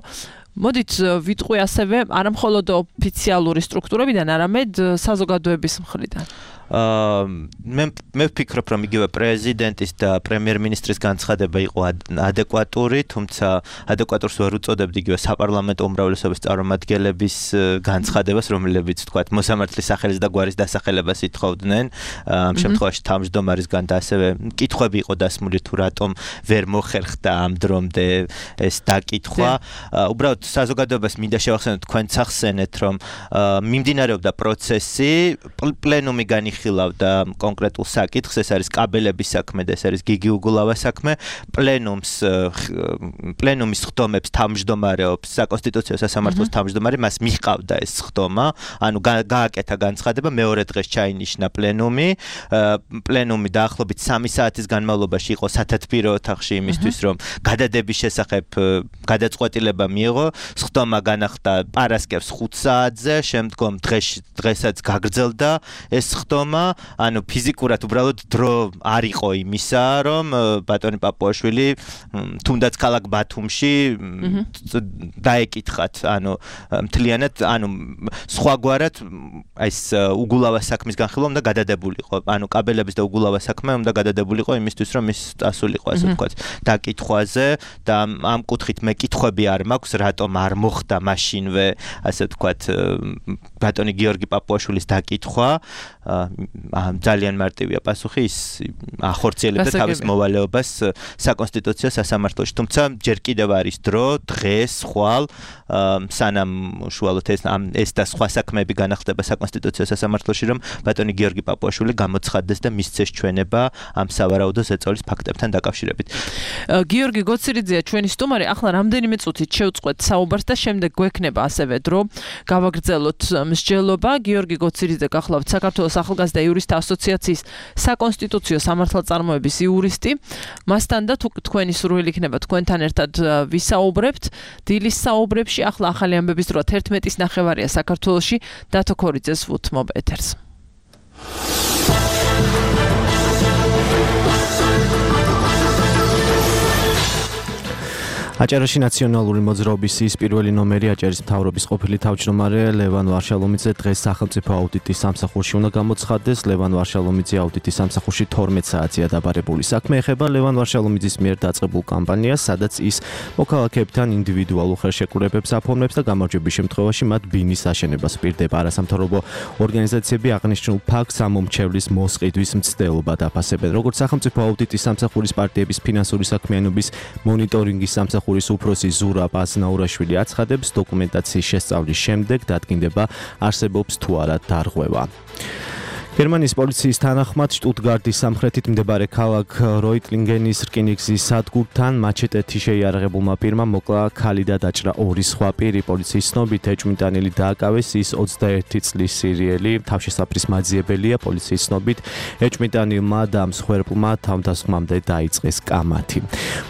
მოდით ვიტყვი ასევე არა მხოლოდ ოფიციალური სტრუქტურებიდან, არამედ საზოგადოების მხრიდან. მე მე ვფიქრობ, რომ იგივე პრეზიდენტის და პრემიერ-მინისტრის განცხადება იყო ადეკვატური, თუმცა ადეკვატურს ვერ უწოდებდი იგივე საპარლამენტო უმრავლესობის წარმომადგენლების განცხადებას, რომლებიც თქვათ მოსამართლის სახელის და გვარის დასახელებას ითხოვდნენ. ამ შემთხვევაში თავმჯდომარისგან და ასევე კითხვები იყო დასმული თუ რატომ ვერ მოხერხდა ამ დრომდე ეს დაკითხვა. უბრალოდ საზოგადოებას მინდა შევახსენოთ, თქვენც ახსენეთ, რომ მიმდინარეობდა პროცესი, პლენუმი განიხილეთ განიხილავდა კონკრეტულ საკითხს, ეს არის კაბელების საქმე და ეს არის გიგი უგულავას საქმე. პლენუმს პლენუმის ხდომებს თავმჯდომარეობს საკონსტიტუციო სასამართლოს თავმჯდომარე, მას მიჰყავდა ეს ხდომა, ანუ გააკეთა განცხადება, მეორე დღეს ჩაინიშნა პლენუმი. პლენუმი დაახლოებით სამი საათის განმავლობაში იყო სათათბირო ოთახში იმისთვის, რომ გადადების შესახებ გადაწყვეტილება მიიღო. ხდომა განახდა პარასკევს ხუთ საათზე, შემდგომ დღეს დღესაც გაგრძელდა ეს ხდომა, ანუ ფიზიკურად უბრალოდ დრო არ იყო იმისა, რომ ბატონი პაპუაშვილი თუნდაც ქალაქ ბათუმში დაეკითხათ, ანუ მთლიანად, ანუ სხვაგვარად ეს უგულავას საქმის განხილვა უნდა გადადებულიყო, ანუ კაბელების და უგულავას საქმე უნდა გადადებულიყო იმისთვის, რომ ის წასულიყო, ასე ვთქვათ, დაკითხვაზე და ამ კუთხით მე კითხვები არ მაქვს, რატომ არ მოხდა მაშინვე, ასე ვთქვათ, ბატონი გიორგი პაპუაშვილის დაკითხვა. ძალიან მარტივია პასუხი, ის ახორციელებდა თავის მოვალეობას საკონსტიტუციო სასამართლოში, თუმცა ჯერ კიდევ არის დრო, დღეს, ხვალ, სანამ უშუალოდ ეს ეს და სხვა საქმეები განახდება საკონსტიტუციო სასამართლოში, რომ ბატონი გიორგი პაპუაშვილი გამოცხადდეს და მისცეს ჩვენება ამ სავარაუდო ზეწოლის ფაქტებთან დაკავშირებით. გიორგი გოცირიძეა ჩვენი სტუმარი, ახლა რამდენიმე წუთით შევწყვეთ საუბარს და შემდეგ გვექნება ასევე დრო გავაგრძელოთ მსჯელობა. გიორგი გოცირიძე გახლავთ საქართველოს ახალგაზრდა იურისტთა ასოციაციის საკონსტიტუციო სამართალწარმოების იურისტი. მასთან და თუ თქვენი სურვილი იქნება თქვენთან ერთად ვისაუბრებთ დილის საუბრებში. ახლა ახალი ამბების დროა თერთმეტის ნახევარია საქართველოში. დათო ქორიძეს ვუთმობ ეთერს. აჭარაში ნაციონალური მოძრაობის ის პირველი ნომერი აჭარის მთავრობის ყოფილი თავმჯდომარე ლევან ვარშალომიძე დღეს სახელმწიფო აუდიტის სამსახურში უნდა გამოცხადდეს. ლევან ვარშალომიძე აუდიტის სამსახურში თორმეტ საათია დაბარებული. საქმე ეხება ლევან ვარშალომიძის მიერ დაწყებულ კამპანიას, სადაც ის მოქალაქეებთან ინდივიდუალურ ხელშეკრულებებს აფორმებს და გამარჯვების შემთხვევაში მათ ბინის აშენებას პირდება. არასამთავრობო ორგანიზაციები აღნიშნულ ფაქტს ამომრჩევლის მოსყიდვის მცდელობა დაფასებენ. როგორც სახელმწიფო აუდიტის სამსახურის პარტიების ფინანსური საქმიანობის მონიტორინგის სამსახური ხურის უფროსი ზურაბ აზნაურაშვილი აცხადებს, დოკუმენტაციის შესწავლის შემდეგ დადგინდება არსებობს თუ არა დარღვევა. გერმანიის პოლიციის თანახმად შტუტგარტის სამხრეთით მდებარე ქალაქ როიტლინგენის რკინიგზის სადგურთან მაჩეტეთი შეიარაღებულმა პირმა მოკლა ქალი და დაჭრა ორი სხვა პირი. პოლიციის ცნობით ეჭვმიტანილი დააკავეს, ის ოცდაერთი წლის სირიელი თავშესაფრის მაძიებელია. პოლიციის ცნობით ეჭვმიტანილმა და მსხვერპლმა თავდასხმამდე დაიწყეს კამათი.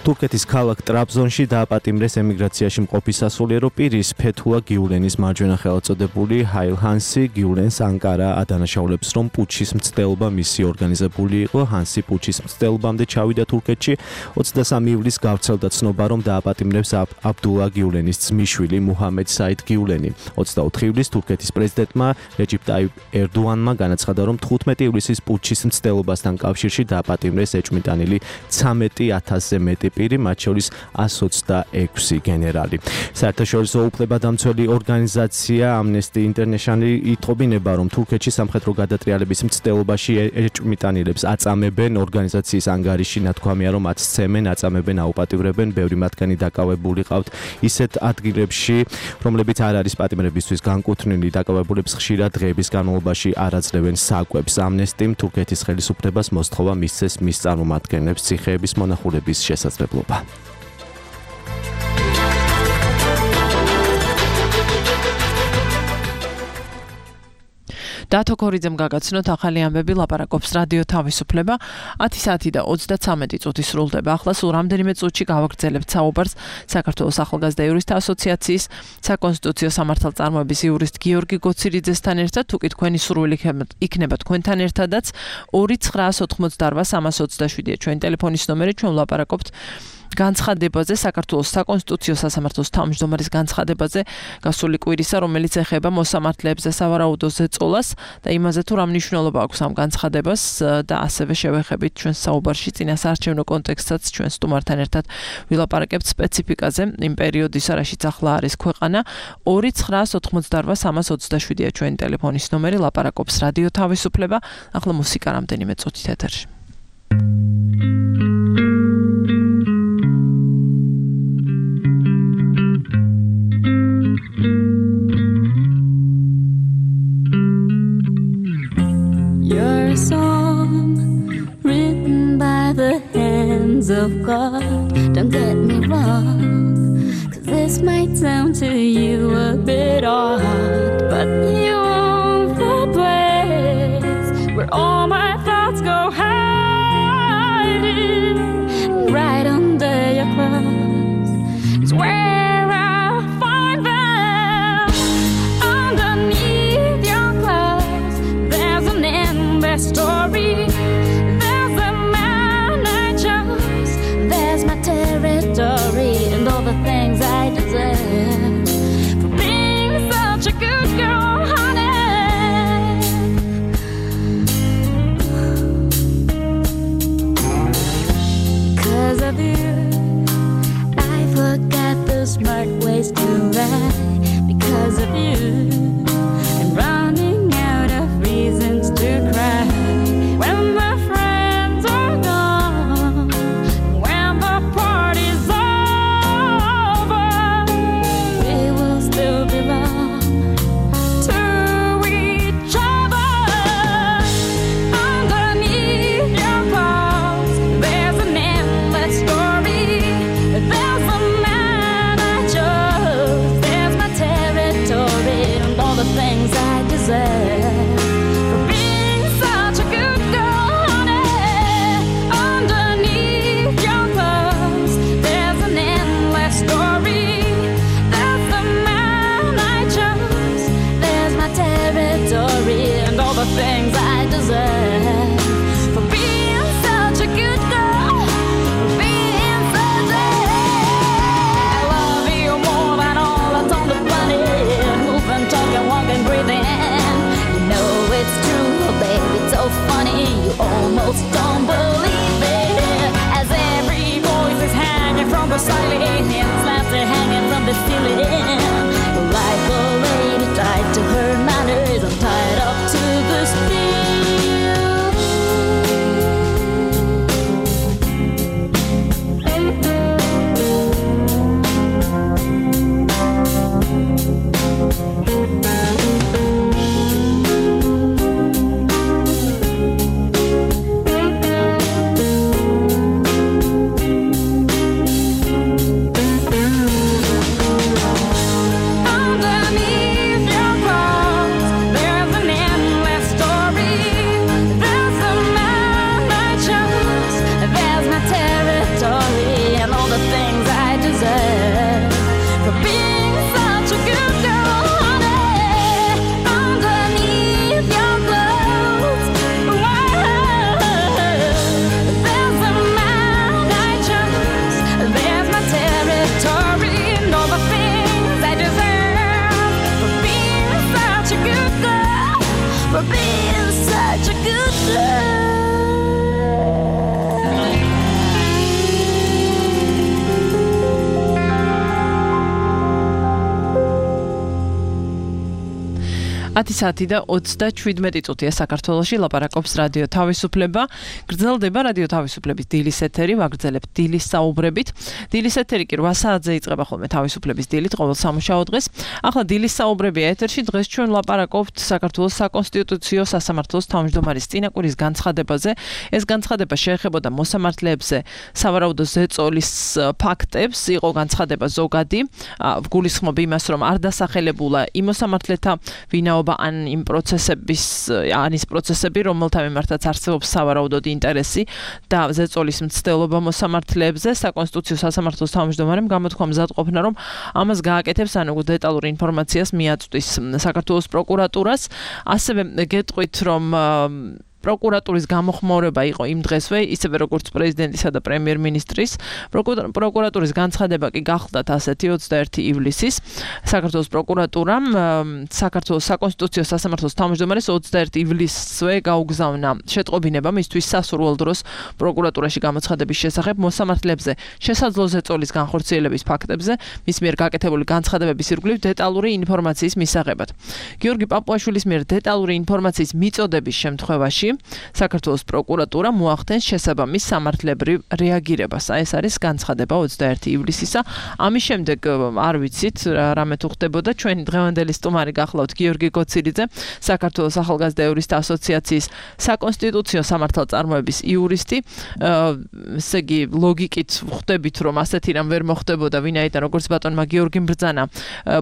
თურქეთის ქალაქ ტრაბზონში დააპატიმრეს ემიგრაციაში მყოფი სასულიერო პირის ფეთულა გიულენის მარჯვენა ხელწოდებული ჰაილჰანსი. გიულენს ანკარა ადანაშაულებს, რომ პუჩის მცდელობა მისი ორგანიზებული იყო. ჰანსი პუჩის მცდელობამდე ჩავიდა თურქეთში. ოცდასამი ივლისს გავრცელდა ცნობა, რომ დააპატიმრებს აბდულა გიულენის ძმისშვილი მუჰამედ საიდ გიულენი. ოცდაოთხი ივლისს თურქეთის პრეზიდენტმა რეჯიპ ტაიპ ერდოანმა განაცხადა, რომ თხუთმეტი ივლისის პუჩის მცდელობასთან კავშირში დააპატიმრეს ეჭვმიტანილი ცამეტი ათასზე მეტი პირი, მათ შორის ასი ოცდაექვსი გენერალი. საერთაშორისო უფლებადამცველი ორგანიზაცია Amnesty International იტყობინება, რომ თურქეთში სამხედრო გადატრიალების მცდელობაში ეჭვმიტანილებს აწამებენ. ორგანიზაციის ანგარიში ნათქვამია, რომ მათ სცემენ, აწამებენ, აუპატივრებენ. ბევრი მათგანი დაკავებული ყავთ ისეთ ადგილებში, რომლებიც არ არის პატიმრებისთვის განკუთვნილი. დაკავებულებს ხშირად დღეების განმავლობაში არ აძლევენ საკვებს. Amnesty-მ თურქეთის ხელისუფლებას მოსთხოვა მისცეს მის წარმომადგენლებს ციხეების მონახულების შესაძლებლობა. დათო ქორიძემ გაგაცნოთ ახალი ამბები, ლაპარაკობს რადიო თავისუფლება. ათი საათი და ოცდაცამეტი წუთი სრულდება. ახლა სულ რამდენიმე წუთში გავაგრძელებთ საუბარს საქართველოს ახალგაზრდა იურისტთა ასოციაციის საკონსტიტუციო სამართალწარმოების იურისტ გიორგი გოცირიძესთან ერთად. თუ კი თქვენი სურვილი იქნება თქვენთან ერთადაც ორი ცხრაას ოთხმოცდაორვა სამას ოცდაშვიდია ჩვენი ტელეფონის ნომერი. ჩვენ ვლაპარაკობთ განცხადებაზე, საქართველოს საკონსტიტუციო სასამართლოს თავმჯდომარის განცხადებაზე გასული კვირისა, რომელიც ეხება მოსამართლეებზე სავარაუდო ზეწოლას და იმაზე თუ რა მნიშვნელობა აქვს ამ განცხადებას და ასევე შევეხებით ჩვენ საუბარში წინასაარჩევნო კონტექსტსაც ჩვენ სტუმართან ერთად ვილაპარაკებთ სპეციფიკაზე იმ პერიოდის, რაშიც ახლა არის ქვეყანა. ორი ცხრაას ოთხმოცდაორვა სამას ოცდაშვიდია ჩვენი ტელეფონის ნომერი, ლაპარაკობს რადიო თავისუფლება. ახლა მუსიკა რამდენიმე წუთით ეთერში. You're song written by the hands of God. Don't get me wrong, 'cause this might sound to you a bit odd, but you own the place where all my thoughts go hiding. Right under your clothes is where I find them. Underneath your clothes, there's an endless story. There's the man I chose, there's my territory, and all the things I deserve for being such a good girl, honey. 'Cause of you, I forgot the smart ways to ride. Because of you, I'm running out of reasons to cry. When my friends are gone, when the party's over, we will still belong to each other. Underneath your clothes, there's an endless story. There's a man I chose, there's my territory, and all the things I deserve for being such a good girl, honey. Underneath your clothes, there's an endless story. There's the man I chose, there's my territory, and all the things I deserve for being such a good girl, for being such a. I love you more than all that's on the planet. Moving, talking, walking, breathing. You know it's true, baby. It's so funny, you almost don't believe it. As every voice is hanging from the ceiling, and slabs are hanging from the ceiling. Like a lady tied to her manners, I'm tied up to the steel. Underneath your clothes, there's an endless story. There's the man I chose, there's my territory, and all the things I deserve for being such a good girl, honey. Underneath your clothes, there's the man I chose, there's my territory, and all the things I deserve for being such a good girl, for being such a good girl. ათი საათი და ოცდაშვიდმეტი წუთია საქართველოში, ლაპარაკობს რადიო თავისუფლება. გრძელდება რადიო თავისუფლების დილის ეთერი, ვაგრძელებთ დილის საუბრებით. დილის ეთერი კი რვა საათზე იწყება ხოლმე თავისუფლების დილით, ყოველ სამუშაო დღეს. ახლა დილის საუბრები ეთერში, დღეს ჩვენ ლაპარაკობთ საქართველოს საკონსტიტუციო სასამართლოს თავმჯდომარის წინაკვირის განცხადებაზე. ეს განცხადება შეეხებოდა მოსამართლეებზე სავარაუდო ზეწოლის ფაქტებს, იყო განცხადება ზოგადი, გულისხმობ იმას, რომ არ დასახელებულა იმ მოსამართლეთა ვინაობა ან იმ პროცესების ან ის პროცესები, რომელთა მიმართაც არსებობს სავარაუდოდ ინტერესი და ზეწოლის მცდელობა მოსამართლეებზე. საკონსტიტუციო სასამართლოს თავმჯდომარემ გამოთქვა მზადყოფნა, რომ ამას გააკეთებს, ანუ დეტალურ ინფორმაციას მიაწვდის საქართველოს პროკურატურას. ასევე გეტყვით, რომ პროკურატურის გამოხმაურება იყო იმ დღესვე, ისევე როგორც პრეზიდენტისა და პრემიერ-მინისტრის. პროკურატურის განცხადება კი გახლდათ ასეთი ოცდაერთი ივლისის. საქართველოს პროკურატურამ საქართველოს საკონსტიტუციო სასამართლოს თავმჯდომარის ოცდაერთი ივლისზე გაუგზავნა შეტყობინება მისთვის სასურველ დროს პროკურატურაში გამოცხადების შესახებ მოსამართლეებზე შესაძლო ზეწოლის განხორციელების ფაქტებზე მის მიერ გაკეთებული განცხადებების ირგვლივ დეტალური ინფორმაციის მისაღებად. გიორგი პაპუაშვილის მიერ დეტალური ინფორმაციის მიწოდების შემთხვევაში შემთხვევაში საქართველოს პროკურატურა მოახდენს შესაბამის სამართლებრივ რეაგირებას. აი ეს არის განცხადება ოცდაერთი ივლისისა. ამის შემდეგ არ ვიცით რამე თუ ხდებოდა. ჩვენი დღევანდელი სტუმარი გახლავთ გიორგი გოცილიძე, საქართველოს ახალგაზრდა იურისტთა ასოციაციის საკონსტიტუციო სამართალწარმოების იურისტი. ესე იგი ლოგიკით ხვდებით რომ ასეთი რამ ვერ მოხდებოდა, ვინაიდან როგორც ბატონმა გიორგიმ ბრძანა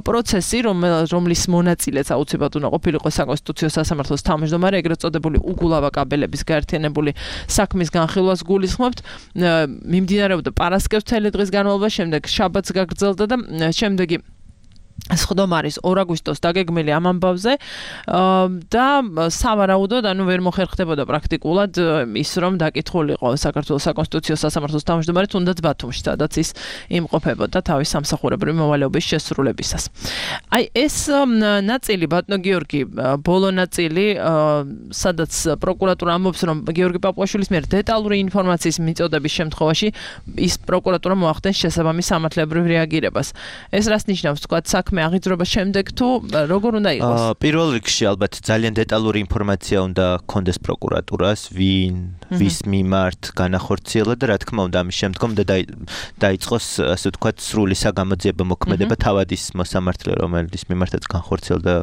პროცესი, რომლის მონაწილეც აუცილებლად უნდა ყოფილიყო საკონსტიტუციო სასამართლოს თავმჯდომარე, ეგრეთ წოდებული უგულავა კაბელების გაერთიანებული საქმის განხილვას გულისხმობთ. მიმდინარეობდა პარასკევს მთელი დღის განმავლობაში, შემდეგ შაბათს გაგრძელდა და შემდეგი სხდომარის ორ აგვისტოს დაგეგმილი ამ ამბავზე და სავარაუდოდ ანუ ვერ მოხერხდებოდა პრაქტიკულად ის რომ დაკითხულიყო საქართველოს საკონსტიტუციო სასამართლოს თავმჯდომარე თუნდაც ბათუმში, სადაც ის იმყოფებოდა თავის სამსახურებრივი მოვალეობის შესრულებისას. აი ეს ნაწილი ბატონო გიორგი, ბოლო ნაწილი, სადაც პროკურატურა ამბობს რომ გიორგი პაპუაშვილის მიერ დეტალური ინფორმაციის მიწოდების შემთხვევაში ის პროკურატურა მოახდენს შესაბამის სამართლებრივ რეაგირებას. ეს რას ნიშნავს, თქვა საქმე აღიძრობა შემდეგ თუ როგორ უნდა იყოს? პირველ რიგში ალბათ ძალიან დეტალური ინფორმაცია უნდა კონდეს პროკურატურას, ვინ, ვის მიმართ განახორციელა და რა თქმა უნდა ამის შემდგომ და დაიწყოს ასე ვთქვათ სრული საგამოძიებო მოქმედება თავადის მოსამართლე, რომელიც მიმართაც განხორციელდა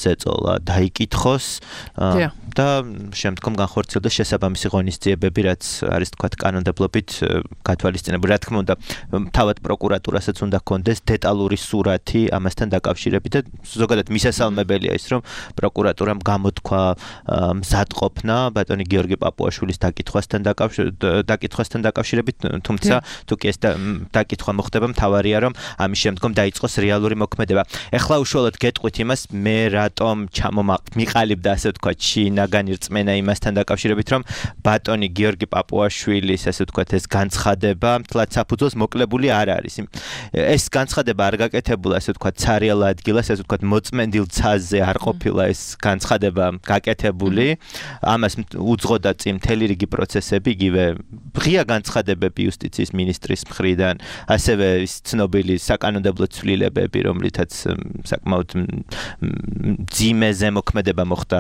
ზეწოლა, დაიკითხოს და შემდგომ განხორციელდა შესაბამისი ღონისძიებები, რაც არის ვთქვათ კანონმდებლობით გათვალისწინებული. რა თქმა უნდა თავად პროკურატურასაც უნდა კონდეს დეტალური სურათი ამასთან დაკავშირებით და ზოგადად მისასალმებელია ის რომ პროკურატურამ გამოთქვა მზადყოფნა ბატონი გიორგი პაპუაშვილის დაკითხვასთან დაკითხვასთან დაკავშირებით, თუმცა თუ კი ეს დაკითხვა მოხდება, მთავარია რომ ამის შემდგომ დაიწყოს რეალური მოქმედება. ეხლა უშუალოდ გეტყვით იმას, მე რატომ ჩამომიყალიბდა ასე ვთქვათ შინაგანი რწმენა იმასთან დაკავშირებით, რომ ბატონი გიორგი პაპუაშვილის ასე ვთქვათ ეს განცხადება მთლად საფუძველს მოკლებული არ არის. ეს განცხადება არ გაკეთებულა ასე ვთქვათ ცარიელ ადგილას, ასე ვთქვათ მოწმენდილ ცაზზე არ ყოფილა ეს განცხადება გაკეთებული. ამას უძღოდა წინ მთელი რიგი პროცესები, იგივე ღია განცხადებები იუსტიციის მინისტრის მხრიდან, ასევე ის ცნობილი საკანონმდებლო ცვლილებები, რომლითაც საკმაოდ მძიმე ზემოქმედება მოხდა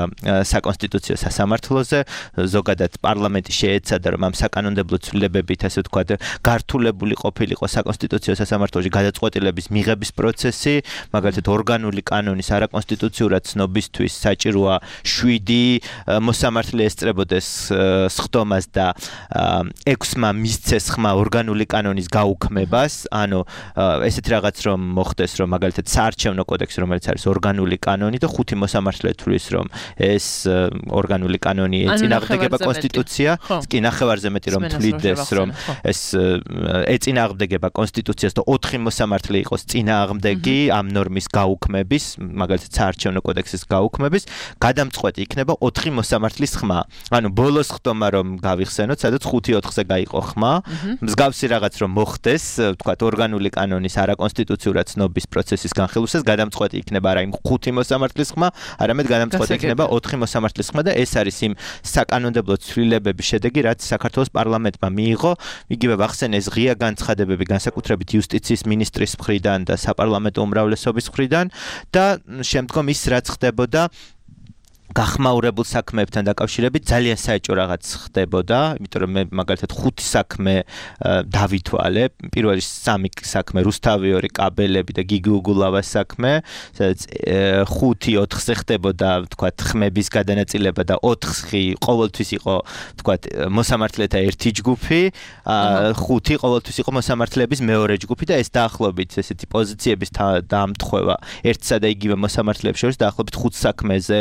საკონსტიტუციო სასამართლოზე, ზოგადად პარლამენტი შეეცადა რომ ამ საკანონმდებლო ცვლილებებით ასე ვთქვათ გართულებული ყოფილიყო საკონსტიტუციო სასამართლოში გადაწყვეტილების მიღების პროცესი, მაგალითად ორგანული კანონის არაკონსტიტუციურად ცნობისთვის საჭიროა შვიდი მოსამართლე ესწრებოდეს სხდომას და ექვსმა მისცეს ხმა ორგანული კანონის გაუქმებას, ანუ ესეთი რაღაც რომ მოხდეს, რომ მაგალითად საარჩევნო კოდექსი, რომელიც არის ორგანული კანონი და ხუთი მოსამართლე თვლის რომ ეს ორგანული კანონი ეწინააღმდეგება კონსტიტუცია, კი ნახევარზე მეტი რომ თვლიდეს რომ ეს ეწინააღმდეგება კონსტიტუციას და ოთხი მოსამართლე იყოს წინააღმდეგი ამ ნორმის გაუქმების, მაგალითად საარჩევნო კოდექსის გაუქმების, გადამწყვეტი იქნება ოთხი მოსამართლის ხმა. ანუ ბოლო სხდომა რომ გავიხსენოთ, სადაც ხუთი ოთხზე გაიყო ხმა, მსგავსი რაღაც რომ მოხდეს, ვთქვათ ორგანული კანონის არაკონსტიტუციურად ცნობის პროცესის განხილვისას გადამწყვეტი იქნება არა იმ ხუთი მოსამართლის ხმა, არამედ გადამწყვეტი იქნება ოთხი მოსამართლის ხმა და ეს არის იმ საკანონმდებლო ცვლილებების შედეგი, რაც საქართველოს პარლამენტმა მიიღო. იგივე ვახსენე ეს ღია განცხადებები განსაკუთრებით იუსტიციის მინისტრის მხრიდან და საპარლამენტო უმრავლესობის მხრიდან და შემდგომ ის რაც ხდებოდა გახმაურებულ საქმეებთან დაკავშირებით ძალიან საეჭო რაღაც ხდებოდა, იმიტომ რომ მე მაგალითად ხუთი საქმე დავითვალე, პირველი სამი საქმე რუსთავიორი კაბელები და გიგი უგულავას საქმე, სადაც ხუთი ოთხზე ხდებოდა, ვთქვათ, ხმების გადანაწილება და ოთხი ყოველთვის იყო, ვთქვათ, მოსამართლეთა ერთი ჯგუფი, ხუთი ყოველთვის იყო მოსამართლეების მეორე ჯგუფი და ეს დაახლოებით ესეთი პოზიციების დამტხვევა ერთსა და იგივე მოსამართლეებს შორის დაახლოებით ხუთ საქმეზე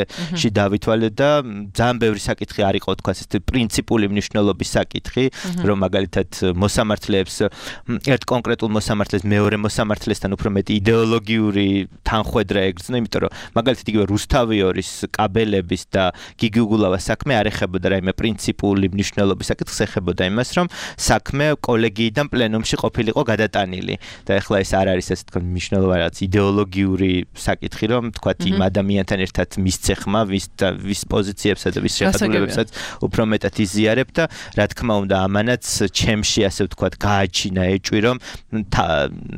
დავითვალე და ძალიან ბევრი საკითხი არ იყო, თქვა ეს პრინციპული მნიშვნელობის საკითხი, რომ მაგალითად მოსამართლეებს ერთ კონკრეტულ მოსამართლეს მეორე მოსამართლესთან უფრო მეტი იდეოლოგიური თანხვედრა ეგრძნო, იმიტომ რომ მაგალითად იგივე რუსთავიორის კაბელების და გიგი უგულავას საქმე არ ეხებოდა რაიმე პრინციპული მნიშვნელობის საკითხს, ეხებოდა იმას, რომ საქმე კოლეგიიდან პლენუმში ყოფილიყო გადატანილი და ეხლა ეს არ არის ასე თქვა მნიშვნელოვანი რაღაც იდეოლოგიური საკითხი, რომ თქვა იმ ადამიანთან ერთად მისცე ხმა, ვის ვის პოზიციებსა და ვის შეხედულებებსაც უფრო მეტად იზიარებ და რა თქმა უნდა ამანაც ჩემში ასე ვთქვათ გააჩინა ეჭვი რომ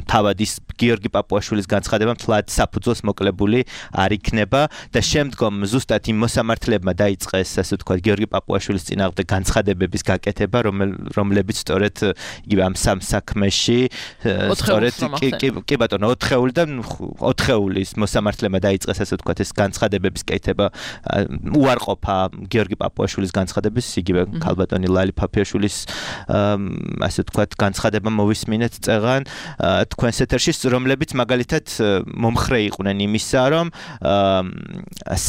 თავად ის გიორგი პაპუაშვილის განცხადება მთლად საფუძველს მოკლებული არ იქნება და შემდგომ ზუსტად იმ მოსამართლებმა დაიწყეს ასე ვთქვათ გიორგი პაპუაშვილის წინააღმდეგ განცხადებების გაკეთება რომლებიც სწორედ იგივე ამ სამ საქმეში სწორედ კი ბატონო ოთხეული და ოთხეულის მოსამართლებმა დაიწყეს ასე ვთქვათ ეს განცხადებების კეთება უარყოფა გიორგი პაპუაშვილის განცხადების იგივე ქალბატონი ლალი ფაფიაშვილის ასე ვთქვათ განცხადება მოვისმინეთ წეღან თქვენს ეთერში რომლებიც მაგალითად მომხრე იყვნენ იმისა რომ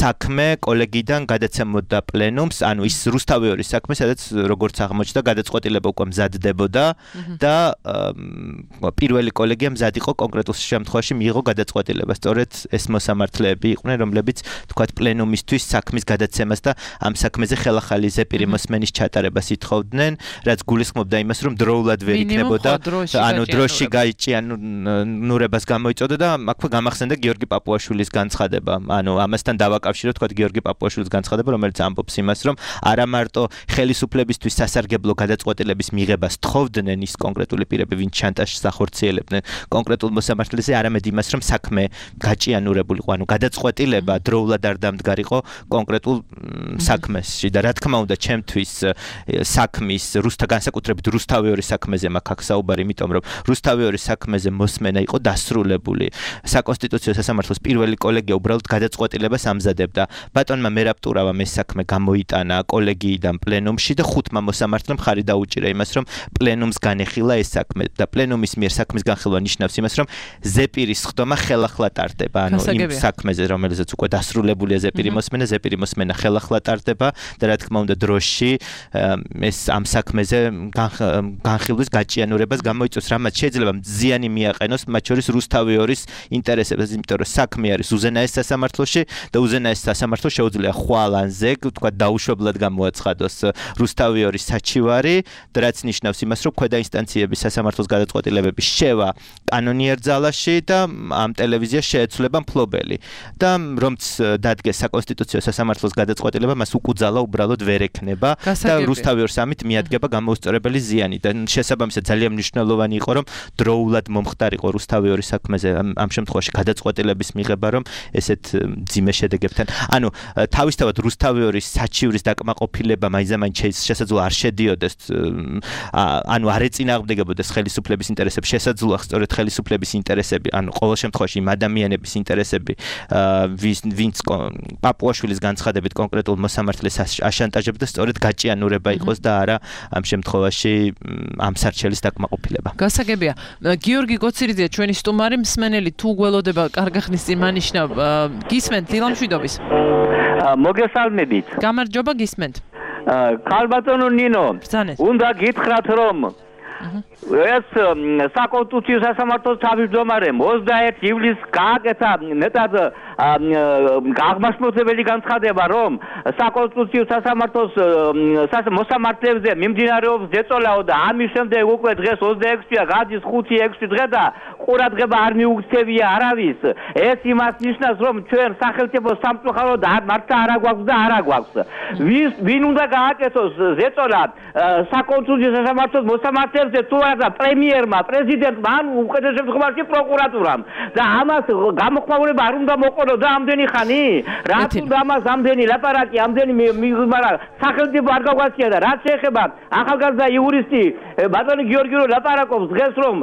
საქმე კოლეგიდან გადაცემოდა პლენუმს ანუ ის რუსთავიორის საქმე სადაც როგორც აღმოჩნდა გადაწყვეტილება უკვე მზადდებოდა და პირველი კოლეგია მზად იყო კონკრეტულ შემთხვევაში მიიღო გადაწყვეტილება სწორედ ეს მოსამართლეები იყვნენ რომლებიც თქვათ პლენუმისთვის საქმის გადაცემას და ამ საქმეზე ხელახალი ზეპირი მოსმენის ჩატარებას ითხოვდნენ რაც გულისხმობდა იმას რომ დროულად ვერ იქნებოდა ანუ დროში გაიჭიანურებას გამოიწოდა და აქვე გამახსენდა გიორგი პაპუაშვილის განცხადება ანუ ამასთან დავაკავშიროთ თქვათ გიორგი პაპუაშვილის განცხადება რომელიც ამბობს იმას რომ არა მარტო ხელისუფლებისთვის სასარგებლო გადაწყვეტილების მიღებას თხოვდნენ ის კონკრეტული პირები ვინც შანტაჟს ახორციელებდნენ კონკრეტულ მოსამართლეზე არამედ იმას რომ საქმე გაჭიანურებულიყო ანუ გადაწყვეტილება დროულად არ დამდგარიყო კონკრეტულ საქმეში და რა თქმა უნდა ჩემთვის საქმის რუსთა განსაკუთრებით რუსთავიორის საქმეზე მაქვს აქ საუბარი იმიტომ რომ რუსთავიორის საქმეზე მოსმენა იყო დასრულებული საკონსტიტუციო სასამართლოს პირველი კოლეგია უბრალოდ გადაწყვეტილებას ამზადებდა ბატონმა მერაპტურავამ ეს საქმე გამოიტანა კოლეგიიდან პლენუმში და ხუთმა მოსამართლემ ხარი დაუჭირა იმას რომ პლენუმს განეხილა ეს საქმე და პლენუმის მიერ საქმის განხილვა ნიშნავს იმას რომ ზეპირის ხდომა ხელახლა ტარდება ანუ იმ საქმეზე რომელზეც უკვე დასრულებულია ზეპირი მოსმენა ზეპირი მოსმენა ხელახლა ტარდება და რა თქმა უნდა დროში ეს ამ საქმეზე განხილვის გაჭიანურებას გამოიწვევს რამაც შეიძლება ზიანი მიაყენოს მათ შორის რუსთავიორის ინტერესებს იმიტომ რომ საქმე არის უზენაეს სასამართლოში და უზენაეს სასამართლო შეუძლია ხვალანზე თქვა დაუშვებლად გამოაცხადოს რუსთავიორის საჩივარი და რაც ნიშნავს იმას რომ ქვედა ინსტანციების სასამართლოს გადაწყვეტილებების შევა კანონიერ ძალაში და ამ ტელევიზიას შეეცვლება მფლობელი და რომც დადგეს საკონსტიტუციო სასამართლოს გადაწყვეტილება მას უკუძალა უბრალოდ ვერ ექნება და რუსთავიორს ამით მიადგება გამოუსწორებელი ზიანი და შესაბამისად ძალიან მნიშვნელოვანი იყო რომ დროულად მომხდარიყო რუსთავიორის საქმეზე ამ შემთხვევაში გადაწყვეტილების მიღება რომ ესეთ ძიმე შედეგებთან ანუ თავისთავად რუსთავიორის საჩივრის დაკმაყოფილება მაინც-მაინც შესაძლოა არ შედიოდეს ანუ არ ეწინააღმდეგებოდეს ხელისუფლების ინტერესებს შესაძლოა სწორედ ხელისუფლების ინტერესები ანუ ყოველ შემთხვევაში იმ ადამიანების ინტერესები ვინც პაპუაშვილის განცხადებით კონკრეტულ მოსამართლეს აშანტაჟებდა სწორედ გაჭიანურება იყოს და არა ამ შემთხვევაში ამ სარჩელის დაკმაყოფილება გასაგებია გიორგი გოცირიძე ჩვენი სტუმარი მსმენელი თუ გველოდება კარგახნის წინ მანიშნავ გისმენთ დილამშვიდობის მოგესალმებით გამარჯობა გისმენთ ქალბატონო ნინო უნდა გითხრათ რომ ეს საკონსტიტუციო სასამართლოს თავმჯდომარემ ოცდაერთი ივლისს გააკეთა მეტად აღმასრულებელი განცხადება რომ საკონსტიტუციო სასამართლოს მოსამართლეებზე მიმდინარეობს ზეწოლაო და ამის შემდეგ უკვე დღეს ოცდაექვსია გადის ხუთი ექვსი დღე და ყურადღება არ მიუქცევია არავის ეს იმას ნიშნავს რომ ჩვენ სახელმწიფო სამწუხაროდ მართლა არა გვაქვს და არა გვაქვს ვინ უნდა გააკეთოს ზეწოლა საკონსტიტუციო სასამართლოს მოსამართლეებზე თუ არა პრემიერმა პრეზიდენტმა ან უყედრ შემთხვევაში პროკურატურამ და ამას გამოხმაურება არ უნდა მოყოლო და ამდენი ხანი რაც უნდა ამას ამდენი ლაპარაკი ამდენი მაგრამ სახელმწიფო არ გაგვაცია და რაც შეეხება ახალგაზრდა იურისტი ბატონი გიორგი რო ლაპარაკობს დღეს რომ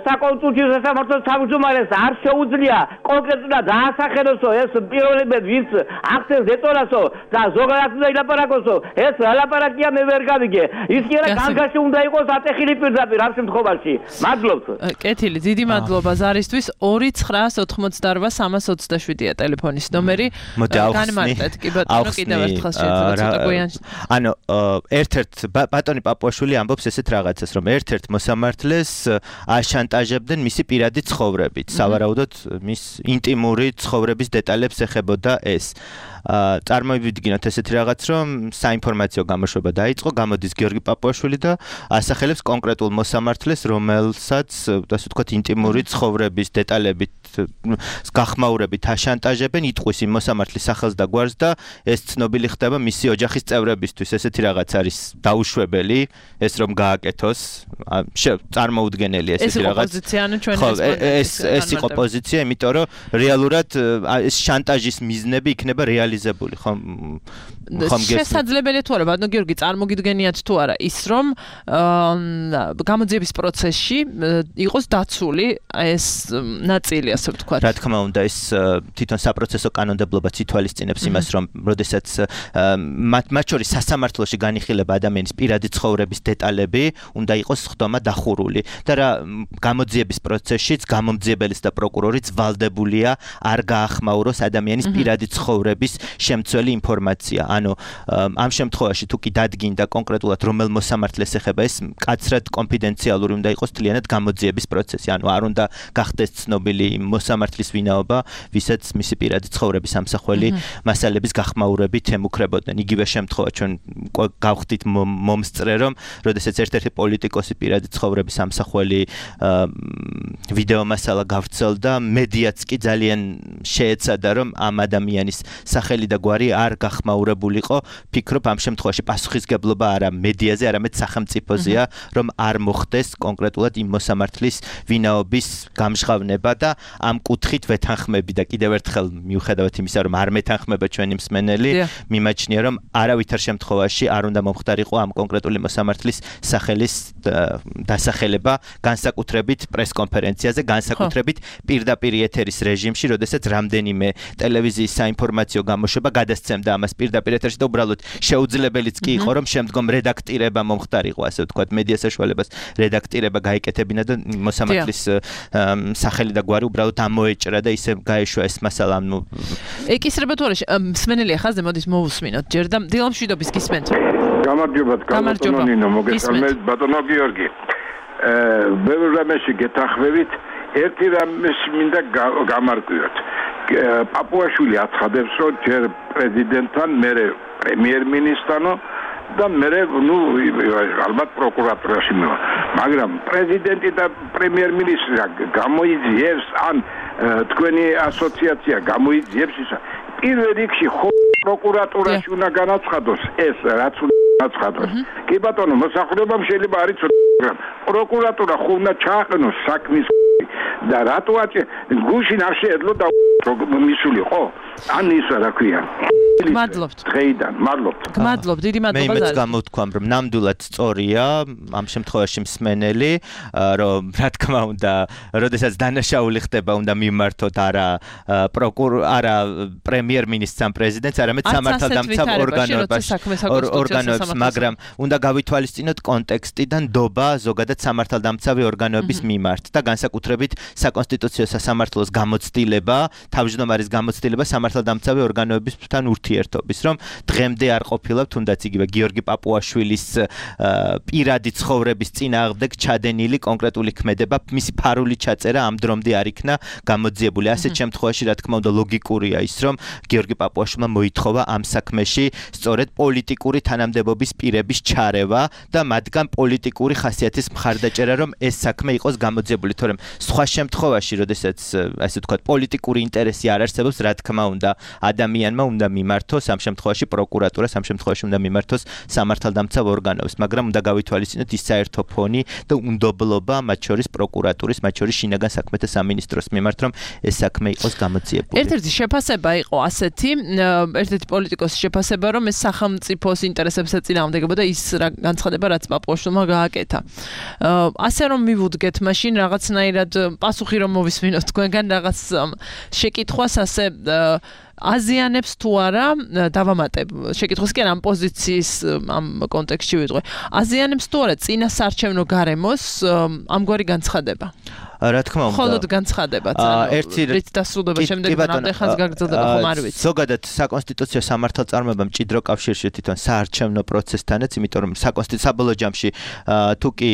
საკონსტიტუციო სასამართლოს თავმჯდომარეს არ შეუძლია კონკრეტულად დაასახელოსო ეს პიროვნებები ვინც აქცევს ზეწოლასო და ზოგადად უნდა ილაპარაკოსო ეს ლაპარაკია მე ვერ გავიგე ის კი არა განგაში უნდა იყოს ატეხილი პირდაპირ ამ შემთხვევაში მადლობთ კეთილი დიდი მადლობა ზარისთვის ორი ცხრაას ოთხმოცდაორვა სამას ოცდაშვიდია ტელეფონის ნომერი განმარტეთ კი ბატონო კიდევ ერთხელ შეიძლება ცოტა გვიან ანუ ერთ-ერთ ბატონი პაპუაშვილი ამბობს ესეთ რაღაცას, რომ ერთ-ერთ მოსამართლეს აშანტაჟებდნენ მისი პირადი ცხოვრებით. სავარაუდოდ მის ინტიმური ცხოვრების დეტალებს ეხებოდა ეს. წარმოვიდგინოთ ესეთი რაღაც, რომ საინფორმაციო გამოშვება დაიწყო, გამოდის გიორგი პაპუაშვილი და ასახელებს კონკრეტულ მოსამართლეს, რომელსაც, ასე ვთქვათ, ინტიმური ცხოვრების დეტალებით გახმაურებით აშანტაჟებენ, იტყვის იმ მოსამართლის სახელს და გვარს და ეს ცნობილი ხდება მისი ოჯახის წევრებისთვის. ესეთი რაღაც არის დაუშვებელი, ეს რომ გააკეთოს, წარმოუდგენელი ესეთი რაღაც. ეს პოზიცია ანუ ჩვენ ეს ეს იყო პოზიცია, იმიტომ რომ რეალურად ეს შანტაჟის მიზნები იქნება რეალიზებული, ხომ? ხომ გესმით? შესაძლებელია თუ არა, ბატონო გიორგი, წარმოგიდგენიათ თუ არა ის, რომ გამოძიების პროცესში იყოს დაცული ეს ნაწილი, ასე ვთქვათ. რა თქმა უნდა, ეს თვითონ საპროცესო კანონმდებლობაც ითვალისწინებს იმას, რომ როდესაც მათ შორის სასამართლოში განიხილება ადამიანის პირადი ცხოვრების დეტალები, უნდა იყოს ხდომა დახურული და რა გამოძიების პროცესშიც გამომძიებელიც და პროკურორიც ვალდებულია არ გაახმაუროს ადამიანის პირადი ცხოვრების შემცველი ინფორმაცია. ანუ ამ შემთხვევაში თუ კი დადგინდა კონკრეტულად რომელ მოსამართლეს ეხება ეს მკაცრად კონფიდენციალური უნდა იყოს თლიანად გამოძიების პროცესი. ანუ არ უნდა გახდეს ცნობილი მოსამართლის ვინაობა, ვისაც მისი პირადი ცხოვრების ამსახველი მასალების გახმაურებით ემუქრებოდნენ. იგივე შემთხვევა ჩვენ გავხდით მომსწრე, რომ როდესაც ერთ-ერთი პოლიტიკოსი პირადი ცხოვრების ამსახველი ვიდეო მასალა გავრცელდა, მედიაც კი ძალიან შეეცადა, რომ ამ ადამიანის სახელი და გვარი არ გახმაურებულიყო. ფიქრობ ამ შემთხვევაში პასუხისგებლობა არა მედიაზე, არამედ სახელმწიფოზეა, რომ არ მოხდეს კონკრეტულად იმ მოსამართლის ვინაობის გამჟღავნება და ამ კუთხით ვეთანხმები და კიდევ ერთხელ მიუხედავად იმისა, რომ არ მეთანხმება ჩვენი მსმენელი, მიმაჩნია, რომ არავითარ შემთხვევაში არ უნდა მომხდარიყო ამ კონკრეტული მოსამართლის სახელის დასახელება, განსაკუთრებით პრესკონფერენციაზე, განსაკუთრებით პირდაპირ ეთერის რეჟიმში, როდესაც რამდენიმე ტელევიზიის საინფორმაციო გამოშვება გადასცემდა ამას პირდაპირ ეთერში და უბრალოდ შეუძლებელიც კი იყო, რომ შემდგომ რედაქტირება მომხდარიყო, ასე ვთქვათ, მედია საშუალებას რედაქტირება გაიკეთებინა და მოსამართლის სახელი და გვარი უბრალოდ ამოეჭრა და ისე გაეშვა ეს მასალა. ანუ ეკისრება თუ არა, მსმენელი ახაზზე მოდის მოვუსმინოთ ჯერ და დილამშვიდობის გისმენთ. გამარჯობათ, ბატონო ნინო, მოგესალმებით, ბატონო გიორგი. ბევრ რამეში გეთანხმებით, ერთი რამეს მინდა გამარკვიოთ. პაპუაშვილი აცხადებს, რომ ჯერ პრეზიდენტთან, მერე პრემიერ-მინისტრთანო და მერე ნუ ალბათ პროკურატურაში მივა. მაგრამ პრეზიდენტი და პრემიერ-მინისტრი გამოიძიებს ან თქვენი ასოციაცია გამოიძიებს ისა პირველ რიგში ხო პროკურატურაში უნდა განაცხადოს ეს რაც უნდა განაცხადოს. კი ბატონო, მოსახლეობამ შეიძლება არ იცოდეს, მაგრამ პროკურატურა ხო უნდა ჩააყენოს საქმის და რატო აჭე გუშინ არ შეეძლო და მისულიყო? ან ისა რა ქვია? მადლობთ. დღეიდან, მადლობთ. მადლობთ, დიდი მადლობა. მე იმეც გამოთქვამ, რომ ნამდვილად სწორია ამ შემთხვევაში მსმენელი, რომ რა თქმა უნდა, როდესაც დანაშაული ხდება, უნდა მიმართოთ არა პროკურორ, არა პრემიერ-მინისტრს ან პრეზიდენტს, არამედ სამართალდამცავ ორგანოებს, ორგანოებს, მაგრამ უნდა გავითვალისწინოთ კონტექსტი და ნდობა ზოგადად სამართალდამცავი ორგანოების მიმართ და განსაკუთრებით საკონსტიტუციო სასამართლოს გამოცდილება, თავმჯდომარის გამოცდილება სამართალდამცავი ორგანოებისთან ურთიერთობის, რომ დღემდე არ ყოფილა თუნდაც იგივე გიორგი პაპუაშვილის პირადი ცხოვრების წინააღმდეგ ჩადენილი კონკრეტული ქმედება, მისი ფარული ჩაწერა ამ დრომდე არ იქნა გამოძიებული. ასეთ შემთხვევაში რა თქმა უნდა ლოგიკურია ის, რომ გიორგი პაპუაშვილმა მოითხოვა ამ საქმეში სწორედ პოლიტიკური თანამდებობის პირების ჩარევა და მათგან პოლიტიკური ხასიათის მხარდაჭერა, რომ ეს საქმე იყოს გამოძიებული, თორემ სხვა შემთხვევაში, როდესაც ასე ვთქვათ, პოლიტიკური ინტერესი არ არსებობს, რა თქმა უნდა, ადამიანმა უნდა მიმართოს ამ შემთხვევაში პროკურატურას, ამ შემთხვევაში უნდა მიმართოს სამართალდამცავ ორგანოებს, მაგრამ უნდა გავითვალისწინოთ ის საერთო ფონი და უნდობლობა მათ შორის პროკურატურის, მათ შორის შინაგან საქმეთა სამინისტროს მიმართ, რომ ეს საქმე იყოს გამოძიებული. ერთ-ერთი შეფასება იყო ასეთი, ერთ-ერთი პოლიტიკოსის შეფასება, რომ ეს სახელმწიფოს ინტერესებს ეწინააღმდეგებოდა ის განცხადება, რაც პაპუაშვილმა გააკეთა. ასე რომ მივუდგეთ მაშინ რაღაცნაირად პასუხი რომ მოვისმინოთ თქვენგან რაღაც შეკითხვას, ასე აზიანებს თუ არა დავამატებ შეკითხოს კი ამ პოზიციის ამ კონტექსტში ვიტყვი აზიანებს თუ არა წინასარჩევნო გარემოს ამგვარი განცხადება რა თქმა უნდა. მხოლოდ განცხადებაც, ანუ რით დასრულდება შემდეგ რამდენ ხანს გაგრძელდება ხომ არ ვიცი. ზოგადად საკონსტიტუციო სამართალწარმოება მჭიდრო კავშირში თვითონ საარჩევნო პროცესთანაც, იმიტომ რომ საკონსტიტუციო საბოლოო ჯამში თუ კი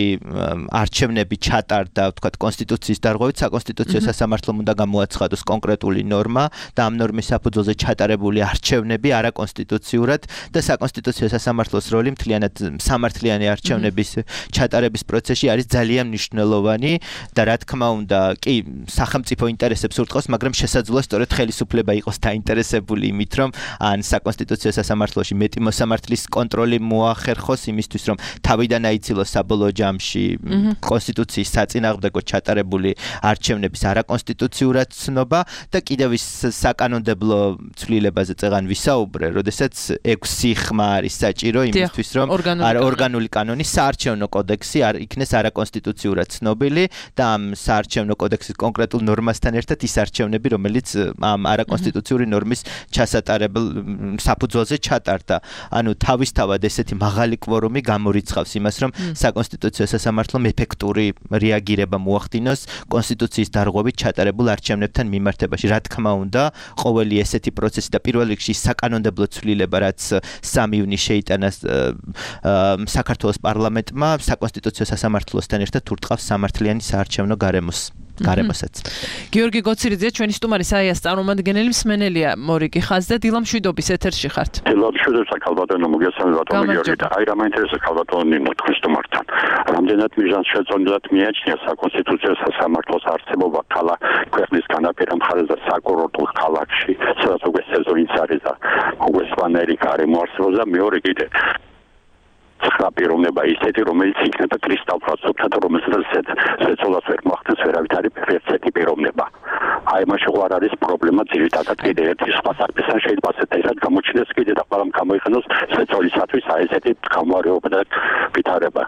არჩევნები ჩატარდა, ვთქვათ, კონსტიტუციის დარღვევით, საკონსტიტუციო სასამართლომ უნდა გამოაცხადოს კონკრეტული ნორმა და ამ ნორმის საფუძველზე ჩატარებული არჩევნები არაკონსტიტუციურად და საკონსტიტუციო სასამართლოს როლი მთლიანად სამართლიანი არჩევნების ჩატარების პროცესში არის ძალიან მნიშვნელოვანი და რა თქმა უნდა, კი, სახელმწიფო ინტერესებს ურტყავს, მაგრამ შესაძლოა სწორედ ხელისუფლება იყოს დაინტერესებული იმით, რომ ან საკონსტიტუციო სასამართლოში მეტი მოსამართლის კონტროლი მოახერხოს იმისთვის, რომ თავიდან აიცილოს საბოლოო ჯამში კონსტიტუციის საწინააღმდეგოდ ჩატარებული არჩევნების არაკონსტიტუციურად ცნობა და კიდევ ის საკანონმდებლო ცვლილებაზე წეღან ვისაუბრე, როდესაც ექვსი ხმა არის საჭირო იმისთვის, რომ ორგანული კანონი საარჩევნო კოდექსი არ იქნეს არაკონსტიტუციურად ცნობილი და ამ საარჩევნო კოდექსის კონკრეტულ ნორმასთან ერთად ის არჩევნები, რომელიც ამ არაკონსტიტუციური ნორმის ჩასატარებელ საფუძველზე ჩატარდა. ანუ თავისთავად ესეთი მაღალი კვორუმი გამორიცხავს იმას, რომ საკონსტიტუციო სასამართლომ ეფექტური რეაგირება მოახდინოს კონსტიტუციის დარღვევით ჩატარებულ არჩევნებთან მიმართებაში. რა თქმა უნდა, ყოველი ესეთი პროცესი და პირველ რიგში საკანონმდებლო ცვლილება, რაც სამი ივნისს შეიტანა საქართველოს პარლამენტმა, საკონსტიტუციო სასამართლოსთან ერთად ურტყავს სამართლიანი საარჩევნო გარემოს. გარემოსაც. გიორგი გოცირიძე, ჩვენი სტუმარი საიას წარმომადგენელი მსმენელია მორიგი ხაზზე, დილამ შვიდობის ეთერში ხართ. დილამ შვიდობს ქალბატონო, მოგესალმებით გიორგი და აი რა მაინტერესებს ქალბატონო ნინო თქვენ სტუმართან. რამდენად მიზანს შეწონილად მიაჩნია საკონსტიტუციო სასამართლოს არსებობა ქალაქ ქვეყნის განაპირა მხარეს და საკურორტულ ქალაქში, სადაც უკვე სეზონიც არის და უკვე სვანერი გარემო არსებობს და მეორე კიდე ცხრა პიროვნება ისეთი, რომელიც იქნება კრისტალფრაცობთან, რომელსაც შეცოლას ვერ მოახდენს ვერავით არის ერთერთი პიროვნება. აი მაშინ ყوار არის პრობლემა ძირითადად კიდე ერთი სხვა საკითხთან შეიძლება ასეთი რაც გამოჩნდეს კიდე და ყველამ გამოიყენოს შეცოლისათვის აი ესეთი გამარჯვება და ვითარება.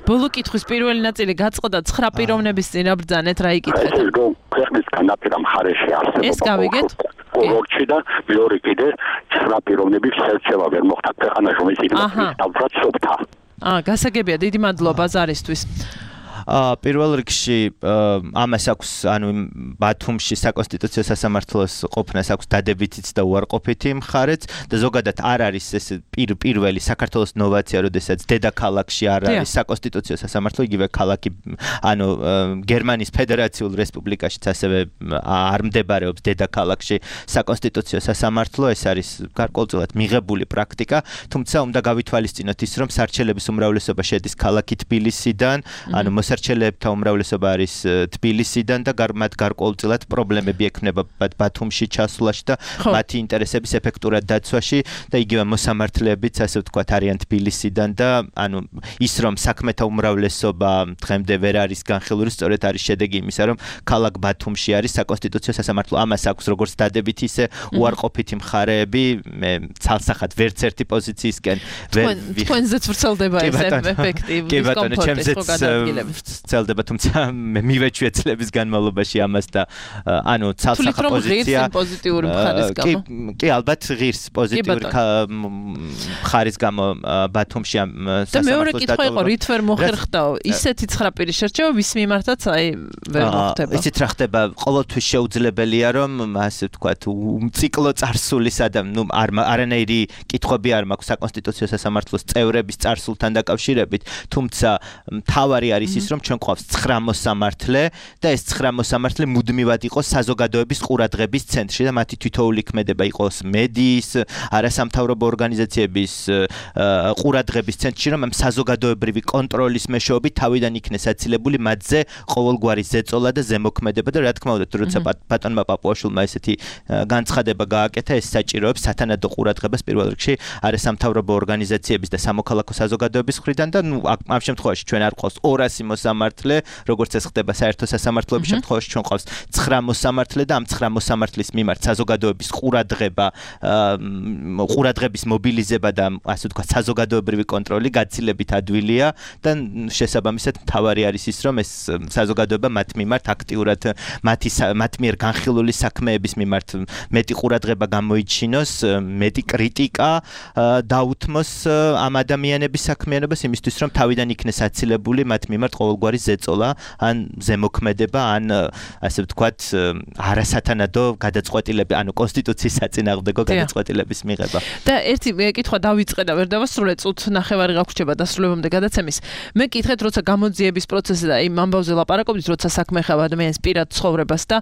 ბოლო კითხვის პირველი ნაწილი გაწყდა ცხრა პიროვნების წინ რა ბრძანეთ რა იკითხეთ? ეს რომ ქვეყნის განაპირა მხარეში არსებობა ეს გავიგეთ? კურორტში და მეორე კიდე ცხრა პიროვნების შერჩევა ვერ მოხდა ქვეყანაში, რომელიც იქნება კრისტალფრაცობთა. აა, გასაგებია, დიდი მადლობა ზარისთვის. აა პირველ რიგში ამას აქვს ანუ ბათუმში საკონსტიტუციო სასამართლოს ყოფნას აქვს დადებითიც და უარყოფითი მხარეც და ზოგადად არ არის ეს პირველი საქართველოს ნოვაცია, როდესაც დედაქალაქში არ არის საკონსტიტუციო სასამართლო, იგივე ქალაქი ანუ გერმანიის ფედერაციულ რესპუბლიკაშიც ასევე არ მდებარეობს დედაქალაქში საკონსტიტუციო სასამართლო, ეს არის გარკვეულწილად მიღებული პრაქტიკა, თუმცა უნდა გავითვალისწინოთ ის, რომ სარჩელების უმრავლესობა შედის ქალაქი თბილისიდან, ანუ მოსარჩელებთა უმრავლესობა არის თბილისიდან და მათ გარკვეულწილად პრობლემები ექნება ბათუმში ჩასვლაში და მათი ინტერესების ეფექტურად დაცვაში და იგივე მოსამართლეებიც ასე ვთქვათ არიან თბილისიდან და ანუ ის რომ საქმეთა უმრავლესობა დღემდე ვერ არის განხილული, სწორედ არის შედეგი იმისა, რომ ქალაქ ბათუმში არის საკონსტიტუციო სასამართლო. ამას აქვს როგორც დადებითი, ისე უარყოფითი მხარეები. მე ცალსახად ვერც ერთი პოზიციისკენ ვერ თქვენზეც ვრცელდება ეს ეფექტი. კი ბატონო, ჩემზეც ცელდება, თუმცა მე მივეჩვია წლების განმავლობაში ამას და ანუ ცალსახად პოზიცია პოზიტიური მხარის გამო. კი, ალბათ ღირს პოზიტიური მხარის გამო ბათუმში ამ სასამართლოს. და მეორე კითხვა იყო, რით ვერ მოხერხდაო ისეთი ცხრა პირის შერჩევა, ვის მიმართაც აი ვერ მოხდება. ისიც რა ხდება, ყოველთვის შეუძლებელია რომ ასე ვთქვათ, ციკლო წარსულისა და ნუ არანაირი კითხვები არ მაქვს საკონსტიტუციო სასამართლოს წევრების წარსულთან დაკავშირებით, თუმცა მთავარი არის ის, რომ ჩვენ გვყავს ცხრა მოსამართლე და ეს ცხრა მოსამართლე მუდმივად იყოს საზოგადოების ყურადღების ცენტრში და მათი თითოეული ქმედება იყოს მედიის, არასამთავრობო ორგანიზაციების ყურადღების ცენტრში, რომ ამ საზოგადოებრივი კონტროლის მეშვეობით თავიდან იქნეს აცილებული მათზე ყოველგვარი ზეწოლა და ზემოქმედება და რა თქმა უნდა, როცა ბატონმა პაპუაშვილმა ესეთი განცხადება გააკეთა, ეს საჭიროებს სათანადო ყურადღებას პირველ რიგში არასამთავრობო ორგანიზაციების და სამოქალაქო საზოგადოების მხრიდან და ნუ ამ შემთხვევაში ჩვენ არ გვყავს ორასი მოსამართლე, როგორც ეს ხდება საერთო სასამართლოების შემთხვევაში, ჩვენ გვყავს ცხრა მოსამართლე და ამ ცხრა მოსამართლის მიმართ საზოგადოების ყურადღება, ყურადღების მობილიზება და ასე ვთქვათ, საზოგადოებრივი კონტროლი გაცილებით ადვილია და შესაბამისად მთავარი არის ის, რომ ეს საზოგადოება მათ მიმართ აქტიურად მათი მათ მიერ განხილული საქმეების მიმართ მეტი ყურადღება გამოიჩინოს, მეტი კრიტიკა დაუთმოს ამ ადამიანების საქმიანობას იმისთვის, რომ თავიდან იქნეს აცილებული მათ მიმართ ყოველგვარი ზეწოლა, ან ზემოქმედება, ან ასე ვთქვათ, არასათანადო გადაწყვეტილები, ანუ კონსტიტუციის საწინააღმდეგო გადაწყვეტილების მიღება. და ერთი კითხვა დავიწყე და ვერ დავასრულე, წუთ ნახევარი გაგვრჩება დასრულებამდე გადაცემის. მე კითხეთ, როცა გამოძიების პროცესზე და იმ ამბავზე ლაპარაკობთ, როცა საქმე ეხება ადამიანის პირად ცხოვრებას და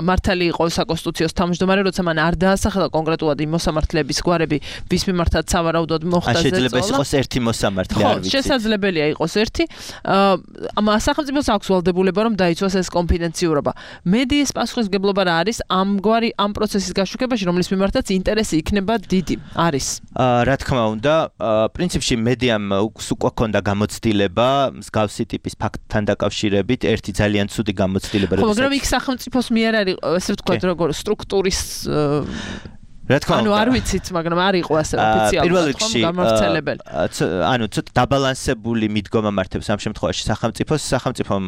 მართალი იყო საკონსტიტუციოს თავმჯდომარე, როცა მან არ დაასახელა კონკრეტულად იმ მოსამართლეების გვარები, ვის მიმართაც სავარაუდოდ მოხდა ზეწოლა. შეიძლება იყოს ერთი მოსამართლე, არ ვიცი. შესაძლებელია იყოს ერთი. ამ სახელმწიფოს აქვს ვალდებულება, რომ დაიცვას ეს კონფიდენციურობა. მედიის პასუხისმგებლობა რა არის ამგვარი ამ პროცესის გაშუქებაში, რომლის მიმართაც ინტერესი იქნება დიდი? არის. რა თქმა უნდა, პრინციპში მედიამ უკვე ქონდა გამოცდილება მსგავსი ტიპის ფაქტთან დაკავშირებით, ერთი ძალიან ცუდი გამოცდილება, ხო, მაგრამ იქ სახელმწიფოს მიერ არის, ესე ვთქვათ, როგორ სტრუქტურის რა თქმა უნდა. ანუ არ ვიცით, მაგრამ არ იყო ასე ოფიციალურად გამავრცელებელი. ანუ ცოტა დაბალანსებული მიდგომა მართებს ამ შემთხვევაში სახელმწიფოს, სახელმწიფომ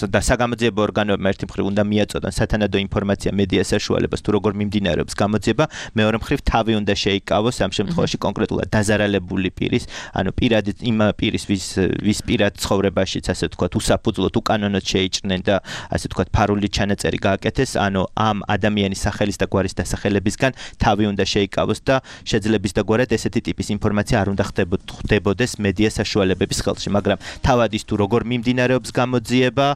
და საგამოძიებო ორგანოებმა ერთი მხრივ უნდა მიაწოდონ სათანადო ინფორმაცია მედიას საშუალებას თუ როგორ მიმდინარეობს გამოძიება, მეორე მხრივ თავი უნდა შეიკავოს ამ შემთხვევაში კონკრეტულად დაზარალებული პირის, ანუ პირადი იმ პირის ვის ვის პირად ცხოვრებაშიც ასე ვთქვათ, უსაფუძვლოდ უკანონოდ შეიჭრნენ და ასე ვთქვათ, ფარული ჩანაწერი გააკეთეს, ანუ ამ ადამიანის სახელის და გვარის დასახელებისგან თავი უნდა შეიკავოს და შეძლების დაგვარად ესეთი ტიპის ინფორმაცია არ უნდა ხდებოდეს მედია საშუალებების ხელში, მაგრამ თავად ის თუ როგორ მიმდინარეობს გამოძიება,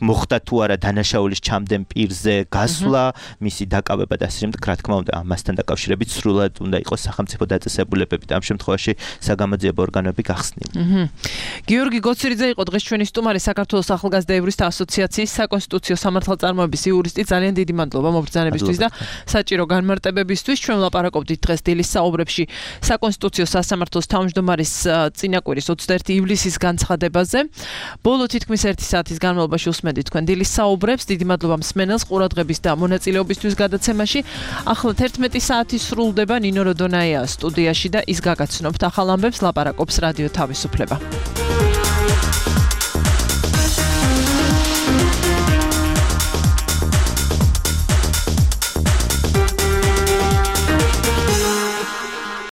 მოხდა თუ არა დანაშაულის ჩამდენ პირზე გასვლა, მისი დაკავება და ასე შემდეგ, რა თქმა უნდა, ამასთან დაკავშირებით სრულად უნდა იყოს სახელმწიფო დაწესებულებები და ამ შემთხვევაში საგამოძიებო ორგანოები გახსნილი. გიორგი გოცირიძე იყო დღეს ჩვენი სტუმარი, საქართველოს ახალგაზრდა იურისტთა ასოციაციის საკონსტიტუციო სამართალწარმოების იურისტი. ძალიან დიდი მადლობა მობრძანებისთვის და საჭირო განმარტებებისთვის. ჩვენ ვლაპარაკობდით დღეს დილის საუბრებში საკონსტიტუციო სასამართლოს თავმჯდომარის წინაკვირის ოცდაერთი ივლისის განცხადებაზე. ბოლო თითქმის ერთი საათის განმავლობაში უსმენდით თქვენ დილის საუბრებს. დიდი მადლობა მსმენელს ყურადღების და მონაწილეობისთვის გადაცემაში. ახლა თერთმეტი საათი სრულდება. ნინო როდონაია სტუდიაში და ის გაგაცნობთ ახალ ამბებს, ლაპარაკობს რადიო თავისუფლება.